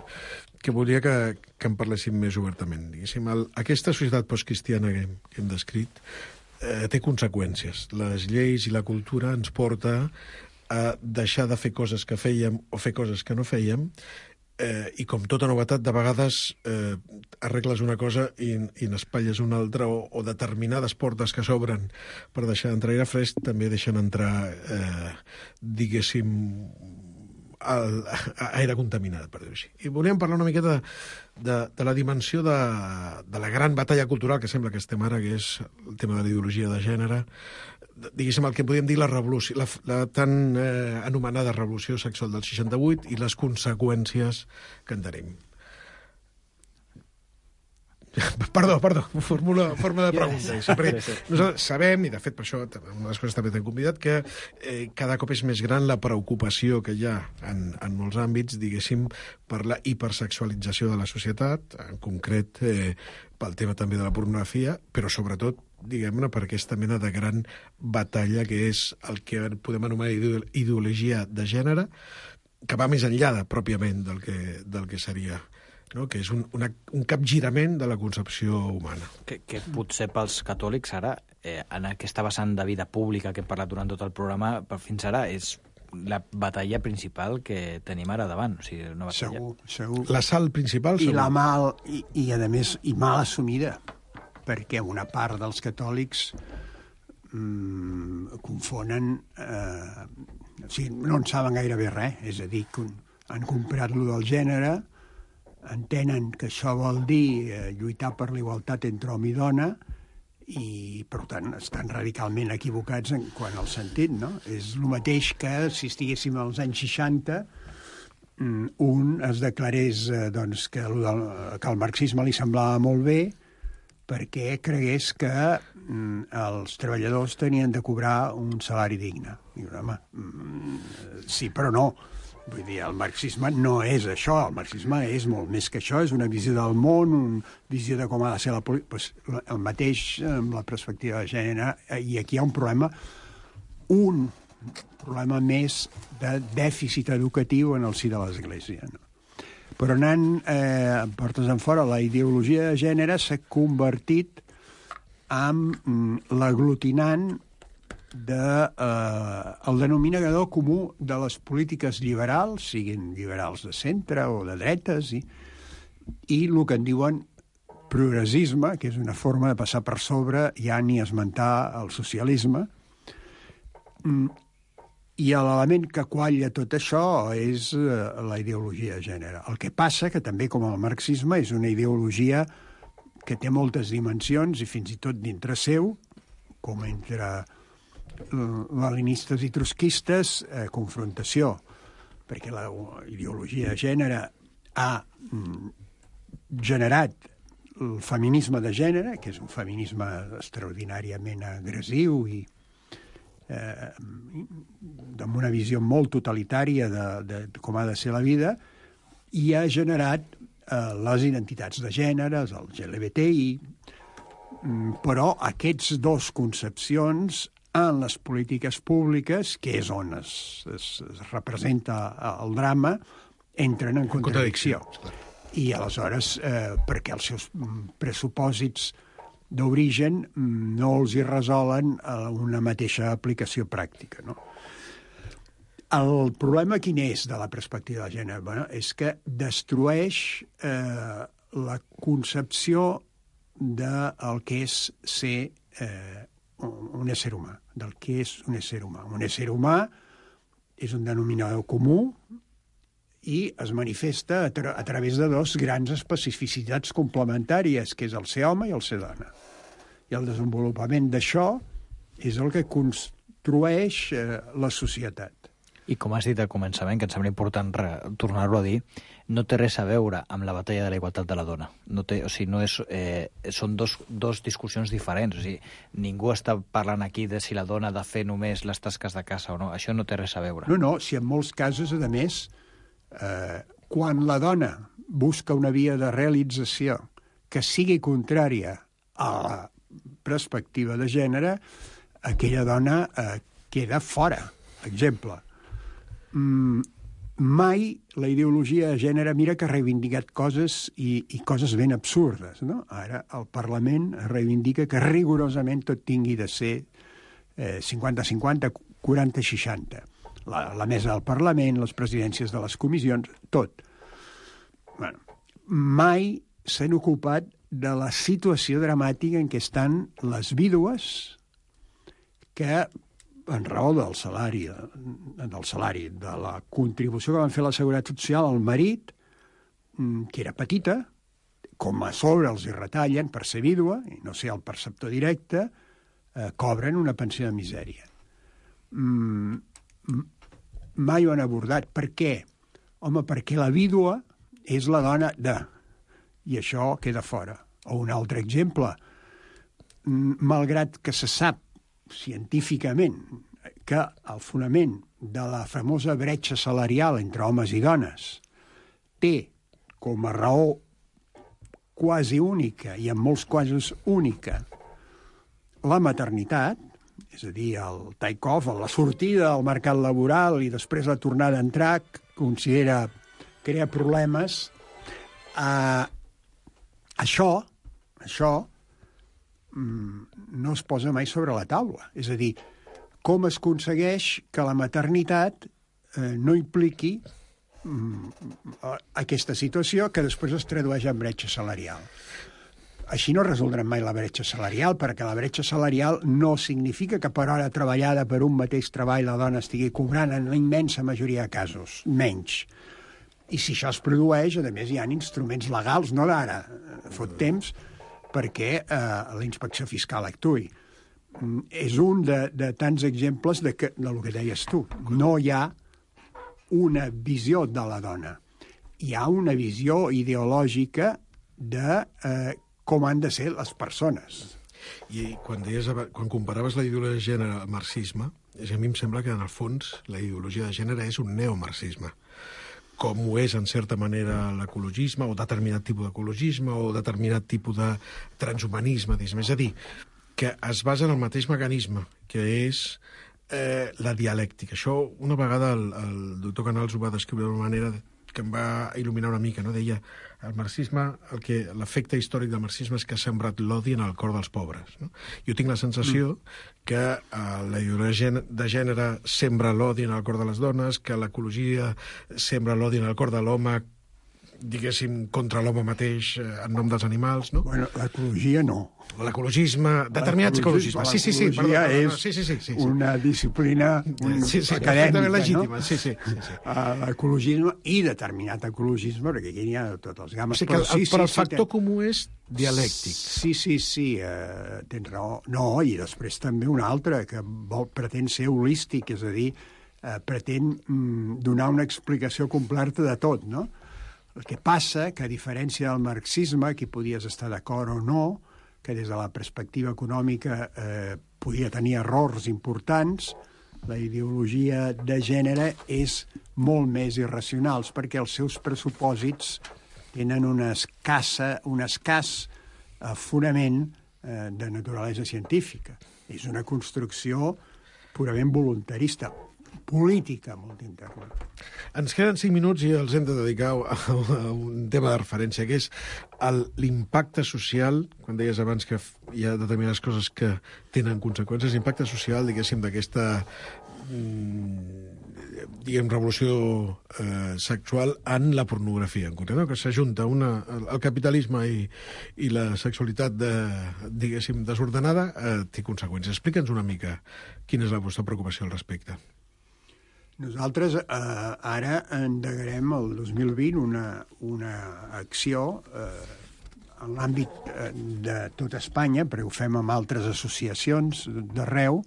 que volia que, que en parléssim més obertament. Diguéssim, el, aquesta societat postcristiana que, que hem descrit eh, té conseqüències. Les lleis i la cultura ens porta a deixar de fer coses que fèiem o fer coses que no fèiem. Eh, I com tota novetat, de vegades eh, arregles una cosa i, i n'espatlles una altra, o, o determinades portes que s'obren per deixar d'entrar aire fresc també deixen entrar, eh, diguéssim, el, aire contaminat, per dir-ho així. I volíem parlar una miqueta de, de, de la dimensió de, de la gran batalla cultural que sembla que estem ara, que és el tema de la ideologia de gènere, diguéssim, el que podríem dir la revolució, la, la tan eh, anomenada revolució sexual del seixanta-vuit i les conseqüències que en tenim. Perdó, perdó, fórmula, forma de pregunta. Nosaltres sabem, i de fet per això una de les coses també t'hem convidat, que eh, cada cop és més gran la preocupació que hi ha en, en molts àmbits, diguéssim, per la hipersexualització de la societat, en concret eh, pel tema també de la pornografia, però sobretot, diguem-ne, per aquesta mena de gran batalla que és el que podem anomenar ideologia de gènere, que va més enllà de, pròpiament del que, del que seria, no? Que és un, una, un capgirament de la concepció humana. Que, que potser pels catòlics ara, eh, en aquesta vessant de vida pública que hem parlat durant tot el programa, per fins ara és la batalla principal que tenim ara davant. O sigui, una batalla. Segur, segur. La sal principal, segur. I la mal, i, i a més, i mal assumida, perquè una part dels catòlics mmm, confonen... Eh, o sigui, no en saben gairebé res, és a dir, que han comprat lo del gènere, entenen que això vol dir eh, lluitar per la igualtat entre home i dona, i, per tant, estan radicalment equivocats en quant al sentit, no? És el mateix que si estiguéssim als anys seixanta, un es declarés eh, doncs, que, el, que el marxisme li semblava molt bé, perquè cregués que mm, els treballadors tenien de cobrar un salari digne. I, home, mm, sí, però no. Vull dir, el marxisme no és això, el marxisme és molt més que això, és una visió del món, una visió de com ha de ser la política. Pues, el mateix amb la perspectiva de gènere, i aquí hi ha un problema, un problema més de dèficit educatiu en el si de l'Església, no? Però anant eh, portes en fora, la ideologia de gènere s'ha convertit en mm, l'aglutinant de, eh, el denominador comú de les polítiques liberals, siguin liberals de centre o de dretes, i, i el que en diuen progressisme, que és una forma de passar per sobre, ja ni esmentar el socialisme. Mm, I l'element que qualla tot això és eh, la ideologia de gènere. El que passa que també, com el marxisme, és una ideologia que té moltes dimensions i fins i tot dintre seu, com entre leninistes i trotskistes, eh, confrontació, perquè la ideologia de gènere ha mm, generat el feminisme de gènere, que és un feminisme extraordinàriament agressiu i Eh, amb una visió molt totalitària de, de com ha de ser la vida, i ha generat eh, les identitats de gèneres, el L G B T I, però aquests dos concepcions en les polítiques públiques, que és on es, es, es representa el drama, entren en contradicció. I aleshores, eh, perquè els seus pressupòsits d'origen no els hi resolen una mateixa aplicació pràctica, no? El problema quin és de la perspectiva de gènere? Bueno, és que destrueix eh, la concepció del que és ser eh, un ésser humà, del que és un ésser humà. Un ésser humà és un denominador comú i es manifesta a, tra a través de dos grans especificitats complementàries, que és el ser home i el ser dona. I el desenvolupament d'això és el que construeix eh, la societat. I com has dit al començament, que em sembla important tornar-ho a dir, no té res a veure amb la batalla de la igualtat de la dona. No té, o sigui, no és, eh, són dos, dos discussions diferents. O sigui, ningú està parlant aquí de si la dona ha de fer només les tasques de casa o no. Això no té res a veure. No, no, si en molts casos, a més, Eh, quan la dona busca una via de realització que sigui contrària a la perspectiva de gènere, aquella dona eh, queda fora. Exemple, mm, mai la ideologia de gènere mira que ha reivindicat coses i, i coses ben absurdes, no? Ara el Parlament reivindica que rigorosament tot tingui de ser eh, cinquanta cinquanta, quaranta seixanta. La, la mesa del Parlament, les presidències de les comissions, tot. Bueno, mai s'han ocupat de la situació dramàtica en què estan les vídues que, en raó del salari, del salari, de la contribució que van fer a la Seguretat Social al marit, que era petita, com a sobre els hi retallen per ser vídua, i no ser el perceptor directe, eh, cobren una pensió de misèria. Mm, mai ho han abordat. Per què? Home, perquè la vídua és la dona de... I això queda fora. O un altre exemple, malgrat que se sap científicament que el fonament de la famosa bretxa salarial entre homes i dones té com a raó quasi única, i en molts casos única, la maternitat, és a dir, el take-off, la sortida al mercat laboral i després la tornada a entrar, considera crea problemes. Uh, això, això no es posa mai sobre la taula. És a dir, com es aconsegueix que la maternitat eh, no impliqui mm, aquesta situació que després es tradueix en bretxa salarial. Així no resoldrem mai la bretxa salarial, perquè la bretxa salarial no significa que per hora treballada per un mateix treball la dona estigui cobrant en la immensa majoria de casos, menys. I si això es produeix, a més hi ha instruments legals, no d'ara, fot temps, perquè eh, la inspecció fiscal actuï. Mm, és un de, de tants exemples de, que, del que deies tu. No hi ha una visió de la dona. Hi ha una visió ideològica de eh, com han de ser les persones. I quan, deies, quan comparaves la ideologia de gènere al marxisme, a mi em sembla que en el fons la ideologia de gènere és un neomarxisme, com ho és, en certa manera, l'ecologisme, o determinat tipus d'ecologisme, o determinat tipus de transhumanisme. És a dir, que es basa en el mateix mecanisme, que és eh, la dialèctica. Això, una vegada, el, el doctor Canals ho va descriure d'una manera que em va il·luminar una mica, no? Deia, el marxisme, el que l'efecte històric del marxisme és que ha sembrat l'odi en el cor dels pobres. No? Jo tinc la sensació mm. que eh, la ideologia de gènere sembra l'odi en el cor de les dones, que l'ecologia sembra l'odi en el cor de l'home, diguéssim, contra l'home mateix eh, en nom dels animals, no? Bueno, l'ecologia no. L'ecologisme, determinats ecologismes. Sí, sí, sí. L'ecologia perdó, és sí, sí, sí, sí, sí. una disciplina un, sí, sí, acadèmica, legítima. No? Sí, sí, sí, sí. Uh, l'ecologisme i determinat ecologisme, perquè aquí n'hi ha tots els gammes. O sigui que el, però, sí, però el sí, factor sí, comú és dialèctic. Sí, sí, sí, uh, tens raó. No, i després també un altre, que vol, pretén ser holístic, és a dir, uh, pretén mm, donar una explicació completa de tot, no? El que passa, que a diferència del marxisme, aquí podies estar d'acord o no, que des de la perspectiva econòmica eh, podia tenir errors importants, la ideologia de gènere és molt més irracional, perquè els seus pressupòsits tenen una escassa, un escàs eh, fonament eh, de naturalesa científica. És una construcció purament voluntarista, política molt interna. Ens queden cinc minuts i els hem de dedicar a, a un tema de referència, que és l'impacte social, quan deies abans que hi ha determinades coses que tenen conseqüències, l'impacte social, diguéssim, d'aquesta diguem, revolució eh, sexual en la pornografia, en concret, no? Que s'ajunta una, el capitalisme i, i la sexualitat de, diguéssim, desordenada, eh, té conseqüències. Explica'ns una mica quina és la vostra preocupació al respecte. Nosaltres eh, ara endegarem el dos mil vint una, una acció eh, en l'àmbit eh, de tot Espanya, perquè ho fem amb altres associacions d'arreu,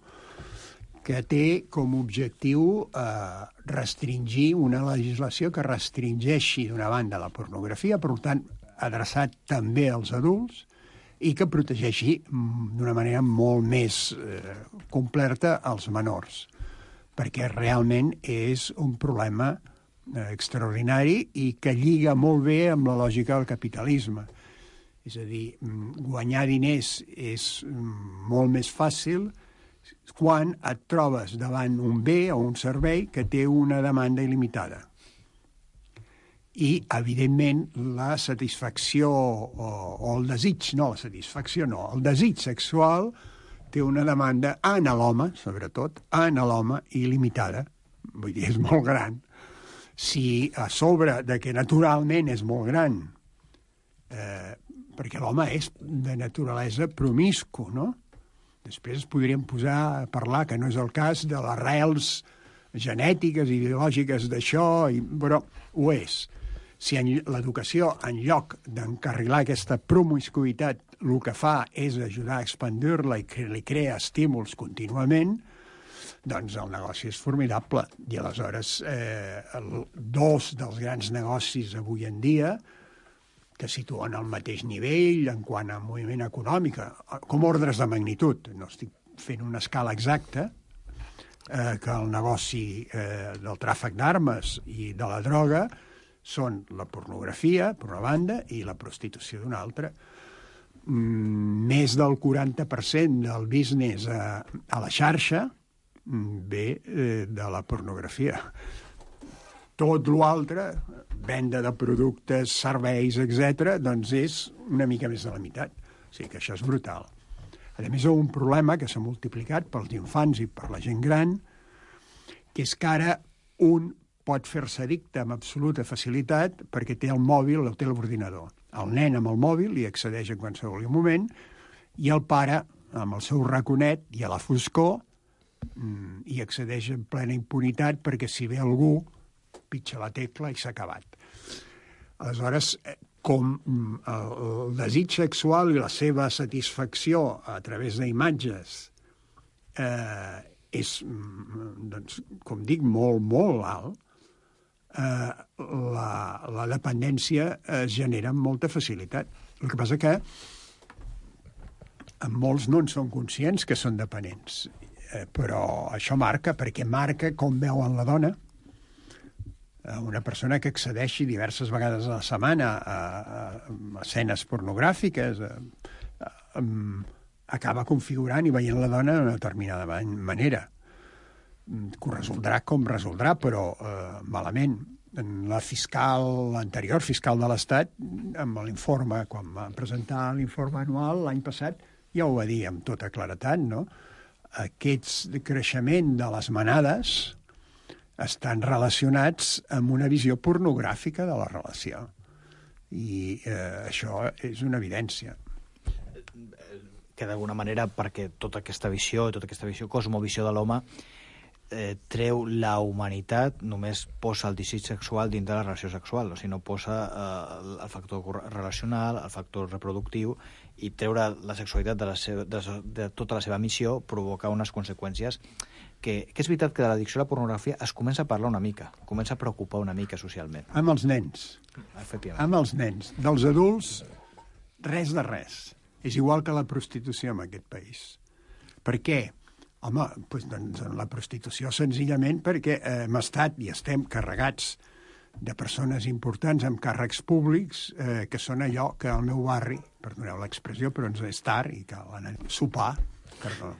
que té com a objectiu eh, restringir una legislació que restringeixi d'una banda la pornografia, per tant, adreçat també als adults, i que protegeixi d'una manera molt més eh, completa als menors, perquè realment és un problema eh, extraordinari i que lliga molt bé amb la lògica del capitalisme. És a dir, guanyar diners és molt més fàcil quan et trobes davant un bé o un servei que té una demanda il·limitada. I, evidentment, la satisfacció o, o el desig, no la satisfacció, no, el desig sexual té una demanda en l'home, sobretot, en l'home, il·limitada. Vull dir, és molt gran. Si a sobre de que naturalment és molt gran, eh, perquè l'home és de naturalesa promiscu, no? Després podríem posar a parlar, que no és el cas, de les arrels genètiques i ideològiques d'això, i, però ho és. Si l'educació, en lloc d'encarrilar aquesta promiscuïtat, el que fa és ajudar a expandir-la i que li crea estímuls contínuament, doncs el negoci és formidable. I aleshores, eh, el, dos dels grans negocis avui en dia, que situen al mateix nivell en quant a moviment econòmic, com ordres de magnitud. No estic fent una escala exacta, eh, que el negoci eh, del tràfic d'armes i de la droga són la pornografia, per una banda, i la prostitució d'una altra. Mm, més del quaranta per cent del business a, a la xarxa ve eh, de la pornografia. Tot l'altre, venda de productes, serveis, etcètera, doncs és una mica més de la meitat. O sigui que això és brutal. A més, hi ha un problema que s'ha multiplicat pels infants i per la gent gran, que és que ara un pot fer-se addicte amb absoluta facilitat perquè té el mòbil o té l'ordinador. El nen amb el mòbil hi accedeix en qualsevol moment i el pare, amb el seu raconet i a la foscor, hi accedeix en plena impunitat perquè si ve algú pitja la tecla i s'ha acabat. Aleshores, com el desig sexual i la seva satisfacció a través d'imatges eh, és, doncs, com dic, molt, molt alt, eh, la, la dependència es genera amb molta facilitat. El que passa que molts no en són conscients que són dependents, eh, però això marca, perquè marca com veuen la dona. Una persona que accedeixi diverses vegades a la setmana a, a, a escenes pornogràfiques a, a, a, acaba configurant i veient la dona d'una determinada manera. Que ho resoldrà com resoldrà, però eh, malament. La fiscal, l'anterior fiscal de l'Estat, amb l'informe, quan va presentar l'informe anual l'any passat, ja ho va dir amb tota claretat, no? Aquest creixement de les manades estan relacionats amb una visió pornogràfica de la relació. I eh, això és una evidència. Que d'alguna manera, perquè tota aquesta visió, tota aquesta visió, cosmovisió de l'home, eh, treu la humanitat, només posa el desig sexual dintre de la relació sexual, o sigui, no posa eh, el factor relacional, el factor reproductiu, i treure la sexualitat de, la seva, de, de tota la seva missió provoca unes conseqüències que, que és veritat que de l'addicció a la pornografia es comença a parlar una mica, comença a preocupar una mica socialment. Amb els nens. Efectivament. Amb els nens. Dels adults, res de res. És igual que la prostitució en aquest país. Per què? Home, doncs, doncs la prostitució senzillament perquè eh, hem estat i estem carregats de persones importants amb càrrecs públics eh, que són allò que al meu barri, perdoneu l'expressió, però ens és tard i cal anar a sopar, perdó,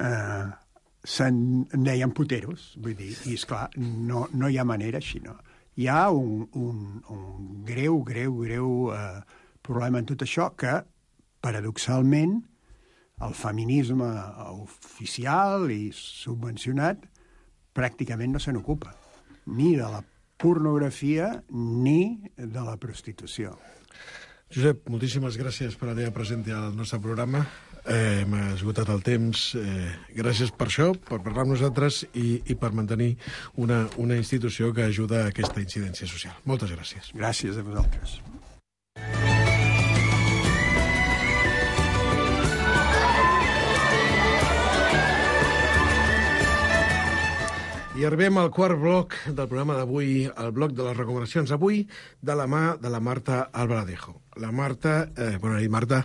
eh, se'n deien puteros, vull dir, i esclar, no, no hi ha manera així, no. Hi ha un, un, un greu, greu, greu eh, problema en tot això que, paradoxalment, el feminisme oficial i subvencionat pràcticament no se n'ocupa, ni de la pornografia ni de la prostitució. Josep, moltíssimes gràcies per la teva presència al nostre programa. Eh, M'ha esgotat el temps. Eh, gràcies per això, per parlar amb nosaltres i, i per mantenir una, una institució que ajuda a aquesta incidència social. Moltes gràcies. Gràcies a vosaltres. I arribem al quart bloc del programa d'avui, el bloc de les recomanacions. Avui, de la mà de la Marta Albaladejo. La Marta... Eh, bona nit, Marta.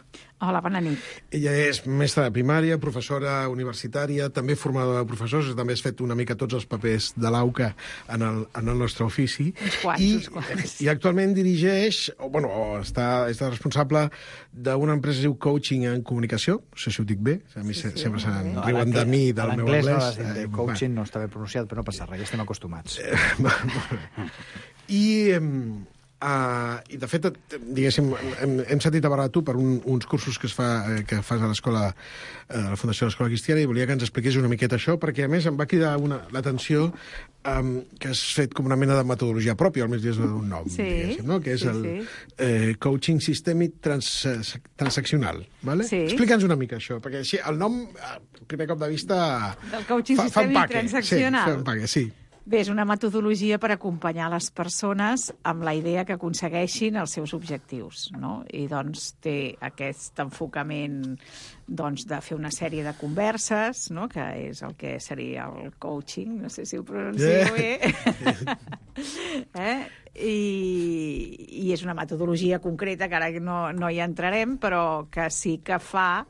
Hola, bona nit. Ella és mestra de primària, professora universitària, també formadora de professors, també has fet una mica tots els papers de l'AUCA en el, en el nostre ofici. Uns quants, I, uns quants. I actualment dirigeix, o, bueno, o està, està responsable d'una empresa que es diu Coaching en Comunicació, no sé si ho dic bé, a mi sí, sí, sempre se'n no, riuen de mi, del meu anglès. L'anglès no, eh, coaching no està ben pronunciat, però no passa res, ja estem acostumats. I... Eh, Uh, i de fet, diguéssim, hem, hem sentit a parlar tu per un, uns cursos que es fa eh, que fas a l'escola, eh, a la Fundació de l'Escola Cristiana, i volia que ens expliqués una miqueta això, perquè a més em va cridar una, l'atenció um, que has fet com una mena de metodologia pròpia, almenys des d'un nom, sí, diguéssim, no? Que és sí, el sí. eh, coaching sistèmic trans, transaccional, vale? Sí. Explica'ns una mica això, perquè així el nom, a primer cop de vista, del coaching fa, sistèmic fa empaque, transaccional. Sí, fa empaque, sí. Bé, és una metodologia per acompanyar les persones amb la idea que aconsegueixin els seus objectius, no? I doncs té aquest enfocament doncs, de fer una sèrie de converses, no? Que és el que seria el coaching, no sé si ho pronuncio yeah. bé. eh? i, i és una metodologia concreta que ara no, no hi entrarem, però que sí que fa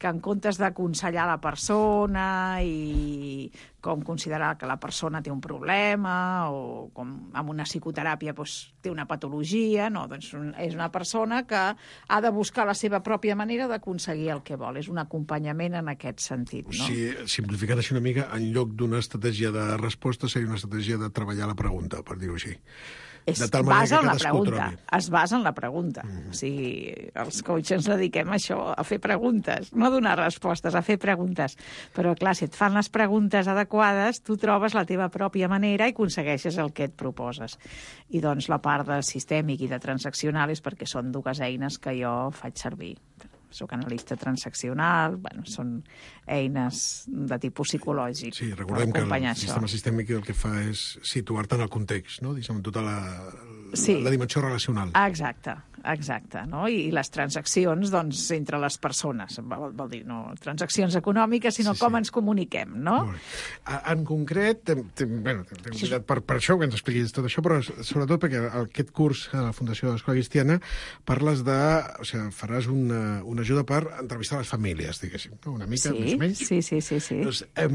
que en comptes d'aconsellar la persona i com considerar que la persona té un problema o com amb una psicoteràpia doncs, té una patologia, no, doncs és una persona que ha de buscar la seva pròpia manera d'aconseguir el que vol. És un acompanyament en aquest sentit. No? Sí, simplificant així una mica, en lloc d'una estratègia de resposta seria una estratègia de treballar la pregunta, per dir-ho així. Es de tal manera basa que en la cadascú pregunta. trobi. Es basa en la pregunta. Mm. O sigui, els coaches ens dediquem a això, a fer preguntes, no a donar respostes, a fer preguntes. Però, clar, si et fan les preguntes adequades, tu trobes la teva pròpia manera i aconsegueixes el que et proposes. I, doncs, la part de sistèmic i de transaccional és perquè són dues eines que jo faig servir. Soc analista transaccional, bueno, són eines de tipus psicològic. Sí, recordem que el això. sistema sistèmic el que fa és situar-te en el context, no? Diguem, tota la, sí. la dimensió relacional. Exacte, exacte. No? I, I les transaccions, doncs, entre les persones. Vol, vol dir, no transaccions econòmiques, sinó sí, com sí. ens comuniquem, no? En concret, tem, tem, bueno, t'hem convidat per, per això, que ens expliquis tot això, però sobretot perquè aquest curs a la Fundació de l'Escola Cristiana parles de... O sigui, faràs una, una ajuda per entrevistar les famílies, diguéssim, no? Una mica, sí, més o menys. Sí, sí, sí. sí. Doncs, eh,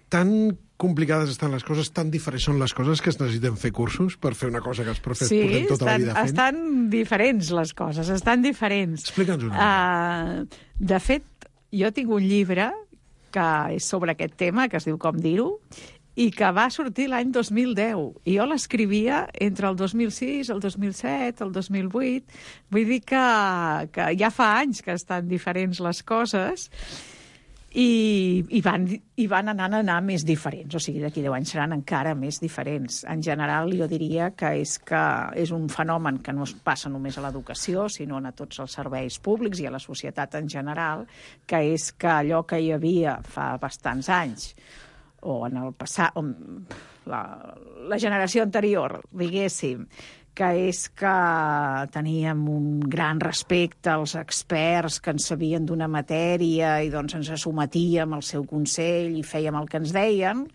tan complicades estan les coses, tan diferents són les coses que es necessiten fer cursos per fer una cosa que els profes sí, portem tota estan, la vida fent? Sí, estan diferents les coses, estan diferents. Explica'ns una mica. Uh, de fet, jo tinc un llibre que és sobre aquest tema, que es diu Com dir-ho, i que va sortir l'any dos mil deu. I jo l'escrivia entre el dos mil sis, el dos mil set, el dos mil vuit. Vull dir que, que ja fa anys que estan diferents les coses i, i, van, i van anant a anar més diferents. O sigui, d'aquí deu anys seran encara més diferents. En general, jo diria que és, que és un fenomen que no es passa només a l'educació, sinó a tots els serveis públics i a la societat en general, que és que allò que hi havia fa bastants anys o en el passat, la, la generació anterior, diguéssim, que és que teníem un gran respecte als experts que en sabien d'una matèria i doncs ens assumetíem al seu consell i fèiem el que ens deien,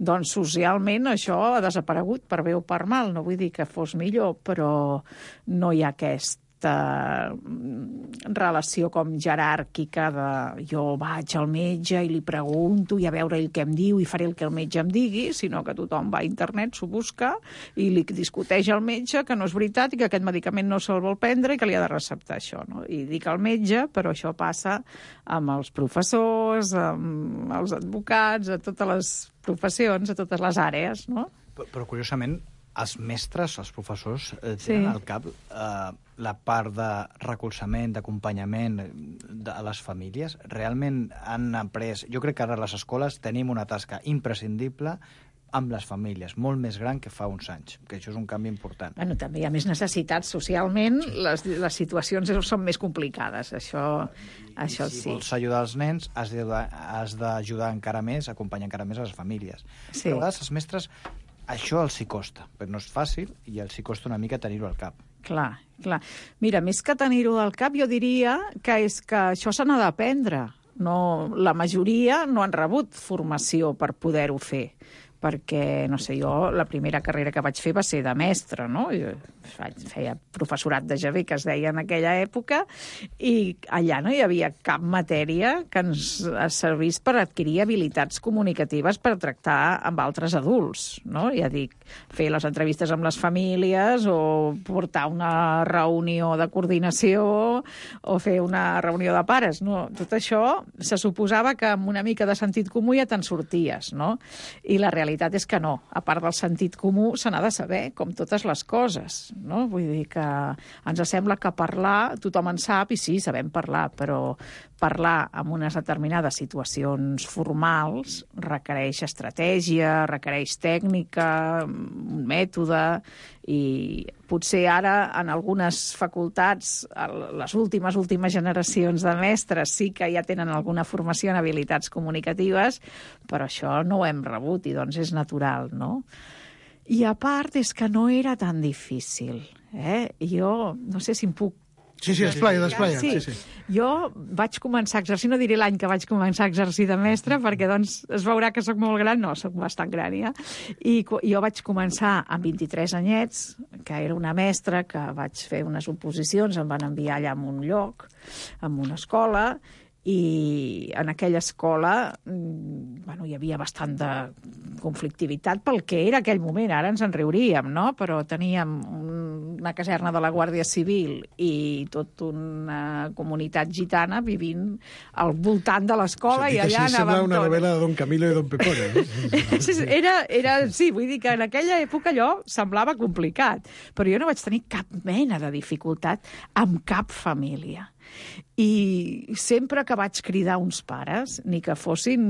doncs socialment això ha desaparegut per bé o per mal. No vull dir que fos millor, però no hi ha aquest relació com jeràrquica de jo vaig al metge i li pregunto i a veure ell què em diu i faré el que el metge em digui, sinó que tothom va a internet, s'ho busca i li discuteix al metge que no és veritat i que aquest medicament no se'l vol prendre i que li ha de receptar això. No? I dic al metge, però això passa amb els professors, amb els advocats, a totes les professions, a totes les àrees. No? Però, però curiosament, els mestres, els professors, eh, tenen Sí. al cap eh, la part de recolzament, d'acompanyament de a les famílies. Realment han après... Jo crec que ara a les escoles tenim una tasca imprescindible amb les famílies, molt més gran que fa uns anys, que això és un canvi important. Bueno, també hi ha més necessitats socialment, les, les situacions són més complicades, això, això si sí. vols ajudar els nens, has d'ajudar has d'ajudar encara més, acompanyar encara més a les famílies. Sí. Però a vegades els mestres, això els hi costa, però no és fàcil i els hi costa una mica tenir-ho al cap. Clar, clar. Mira, més que tenir-ho al cap, jo diria que és que això se n'ha d'aprendre. No, la majoria no han rebut formació per poder-ho fer, perquè, no sé, jo la primera carrera que vaig fer va ser de mestre, no? Jo feia professorat de G B, que es deia en aquella època, i allà no hi havia cap matèria que ens servís per adquirir habilitats comunicatives per tractar amb altres adults, no? Ja dic, fer les entrevistes amb les famílies o portar una reunió de coordinació o fer una reunió de pares, no? Tot això se suposava que amb una mica de sentit comú ja te'n sorties, no? I la realitat és que no. A part del sentit comú, se n'ha de saber, com totes les coses, no? Vull dir que ens sembla que parlar, tothom en sap, i sí, sabem parlar, però parlar en unes determinades situacions formals requereix estratègia, requereix tècnica, un mètode, i potser ara en algunes facultats, les últimes, últimes generacions de mestres sí que ja tenen alguna formació en habilitats comunicatives, però això no ho hem rebut i doncs és natural, no? I a part és que no era tan difícil. Eh? Jo no sé si em puc Sí, sí, esplaia, esplaia. Sí. Sí, sí. Jo vaig començar a exercir, no diré l'any que vaig començar a exercir de mestre, perquè doncs es veurà que sóc molt gran, no, sóc bastant gran ja, i jo vaig començar amb vint-i-tres anyets, que era una mestra, que vaig fer unes oposicions, em van enviar allà a un lloc, en una escola, i en aquella escola bueno, hi havia bastant de conflictivitat pel que era aquell moment. Ara ens en riuríem, no? Però teníem una caserna de la Guàrdia Civil i tota una comunitat gitana vivint al voltant de l'escola, i allà anàvem... Sembla una tot. novel·la de Don Camilo i Don Pepone. No? era, era, sí, vull dir que en aquella època allò semblava complicat, però jo no vaig tenir cap mena de dificultat amb cap família. I sempre que vaig cridar uns pares, ni que fossin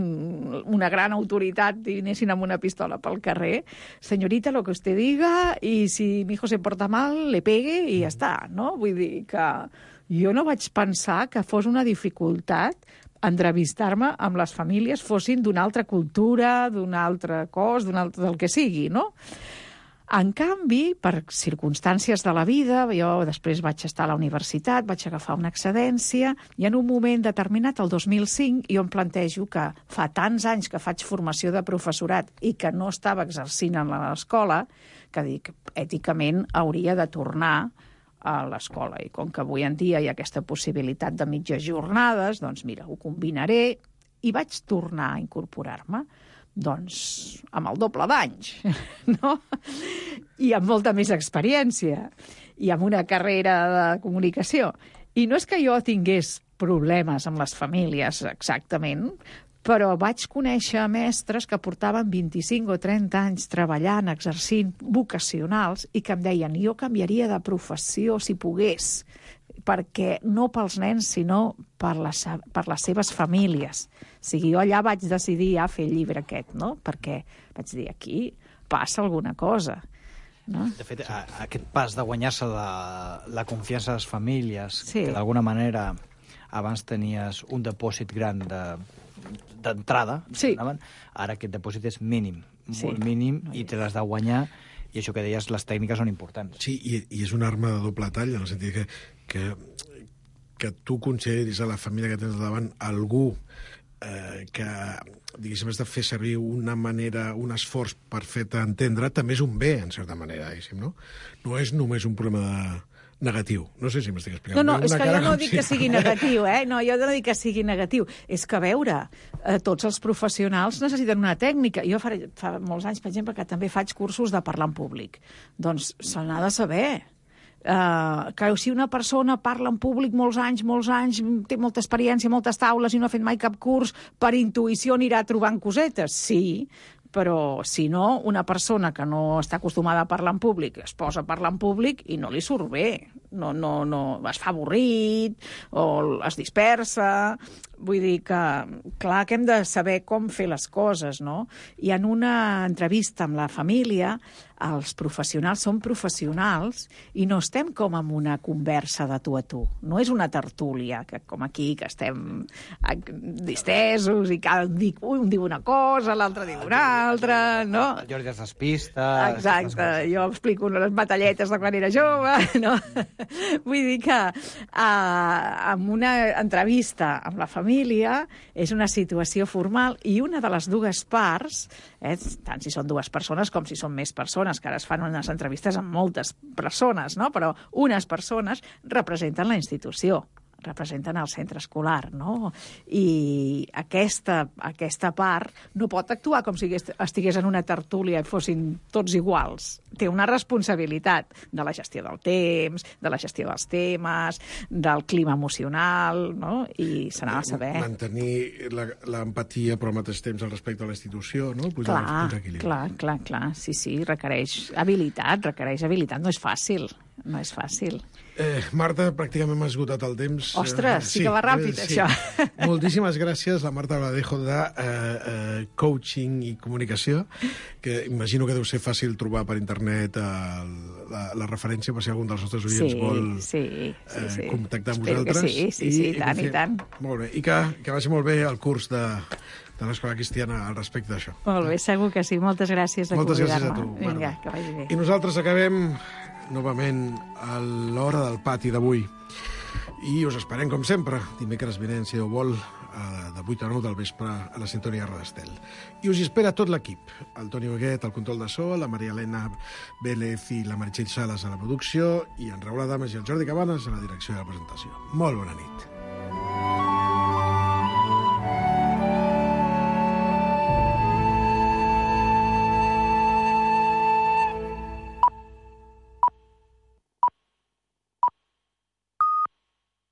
una gran autoritat i anessin amb una pistola pel carrer, senyorita, lo que usted diga, i si mi hijo se porta mal, le pegue i ja està, no? Vull dir que jo no vaig pensar que fos una dificultat entrevistar-me amb les famílies, fossin d'una altra cultura, d'un altre cos, d'un altre, del que sigui, no? En canvi, per circumstàncies de la vida, jo després vaig estar a la universitat, vaig agafar una excedència, i en un moment determinat, el dos mil cinc, jo em plantejo que fa tants anys que faig formació de professorat i que no estava exercint a l'escola, que dic, èticament hauria de tornar a l'escola. I com que avui en dia hi ha aquesta possibilitat de mitges jornades, doncs mira, ho combinaré, i vaig tornar a incorporar-me. Doncs amb el doble d'anys, no? I amb molta més experiència, i amb una carrera de comunicació. I no és que jo tingués problemes amb les famílies, exactament, però vaig conèixer mestres que portaven vint-i-cinc o trenta anys treballant, exercint vocacionals, i que em deien, jo canviaria de professió si pogués, perquè no pels nens, sinó per les, per les seves famílies. O sigui, jo allà vaig decidir ja fer el llibre aquest, no? Perquè vaig dir, aquí passa alguna cosa. No? De fet, a, aquest pas de guanyar-se la, la confiança de les famílies, sí. que d'alguna manera abans tenies un depòsit gran de, d'entrada, sí. Ara aquest depòsit és mínim, sí. molt mínim, i te l'has de guanyar, i això que deies, les tècniques són importants. Sí, i, i és una arma de doble tall, en el sentit que, que, que tu consideris a la família que tens davant algú eh, que, diguéssim, has de fer servir una manera, un esforç per fer-te entendre, també és un bé, en certa manera, diguéssim, no? No és només un problema de negatiu. No sé si m'estic explicant. No, no, és que jo no com dic si... que sigui negatiu, eh? No, jo no dic que sigui negatiu. És que, a veure, eh, tots els professionals necessiten una tècnica. Jo fa, fa molts anys, per exemple, que també faig cursos de parlar en públic. Doncs se n'ha de saber. Uh, que si una persona parla en públic molts anys, molts anys, té molta experiència, moltes taules i no ha fet mai cap curs, per intuïció anirà trobant cosetes. Sí, però si no, una persona que no està acostumada a parlar en públic es posa a parlar en públic i no li surt bé. No, no, no, es fa avorrit o es dispersa. Vull dir que, clar, que hem de saber com fer les coses, no? I en una entrevista amb la família, els professionals són professionals i no estem com en una conversa de tu a tu. No és una tertúlia, que com aquí, que estem distesos i cada un diu una cosa, l'altre diu una altra, no? El Jordi es despista... Exacte, jo explico les batalletes de quan era jove, no? Vull dir que uh, en una entrevista amb la família és una situació formal i una de les dues parts, eh, tant si són dues persones com si són més persones, que ara es fan unes entrevistes amb moltes persones, no? Però unes persones representen la institució, representen el centre escolar, no? I aquesta, aquesta part no pot actuar com si estigués en una tertúlia i fossin tots iguals. Té una responsabilitat de la gestió del temps, de la gestió dels temes, del clima emocional, no? I se n'ha de saber. Mantenir l'empatia, però al mateix temps el respecte a la institució, no? Posar clar, clar, clar, clar. Sí, sí, requereix habilitat, requereix habilitat. No és fàcil, no és fàcil. Eh, Marta, pràcticament m'ha esgotat el temps. Ostres, sí, sí que va ràpid, eh, sí. Això. Moltíssimes gràcies, la Marta Bladejo, de eh, eh, coaching i comunicació, que imagino que deu ser fàcil trobar per internet eh, la, la referència per si algun dels nostres oients sí, vol sí, sí, eh, sí. contactar amb Espero vosaltres. Sí, sí, sí, i, i tant, i tant. Molt bé, i que, que vagi molt bé el curs de... de l'Escola Cristiana al respecte d'això. Molt bé, segur que sí. Moltes gràcies de Moltes convidar-me. gràcies a tu, Vinga, que vagi bé. I nosaltres acabem novament a l'hora del pati d'avui. I us esperem, com sempre, dimecres vinent, si Déu vol, de vuit a nou del vespre a la sintonia Roda Estel. I us hi espera tot l'equip. El Toni Huguet al control de so, la Maria Elena Vélez i la Meritxell Sales a la producció i en Raül Adames i el Jordi Cabanes a la direcció de la presentació. Molt bona nit.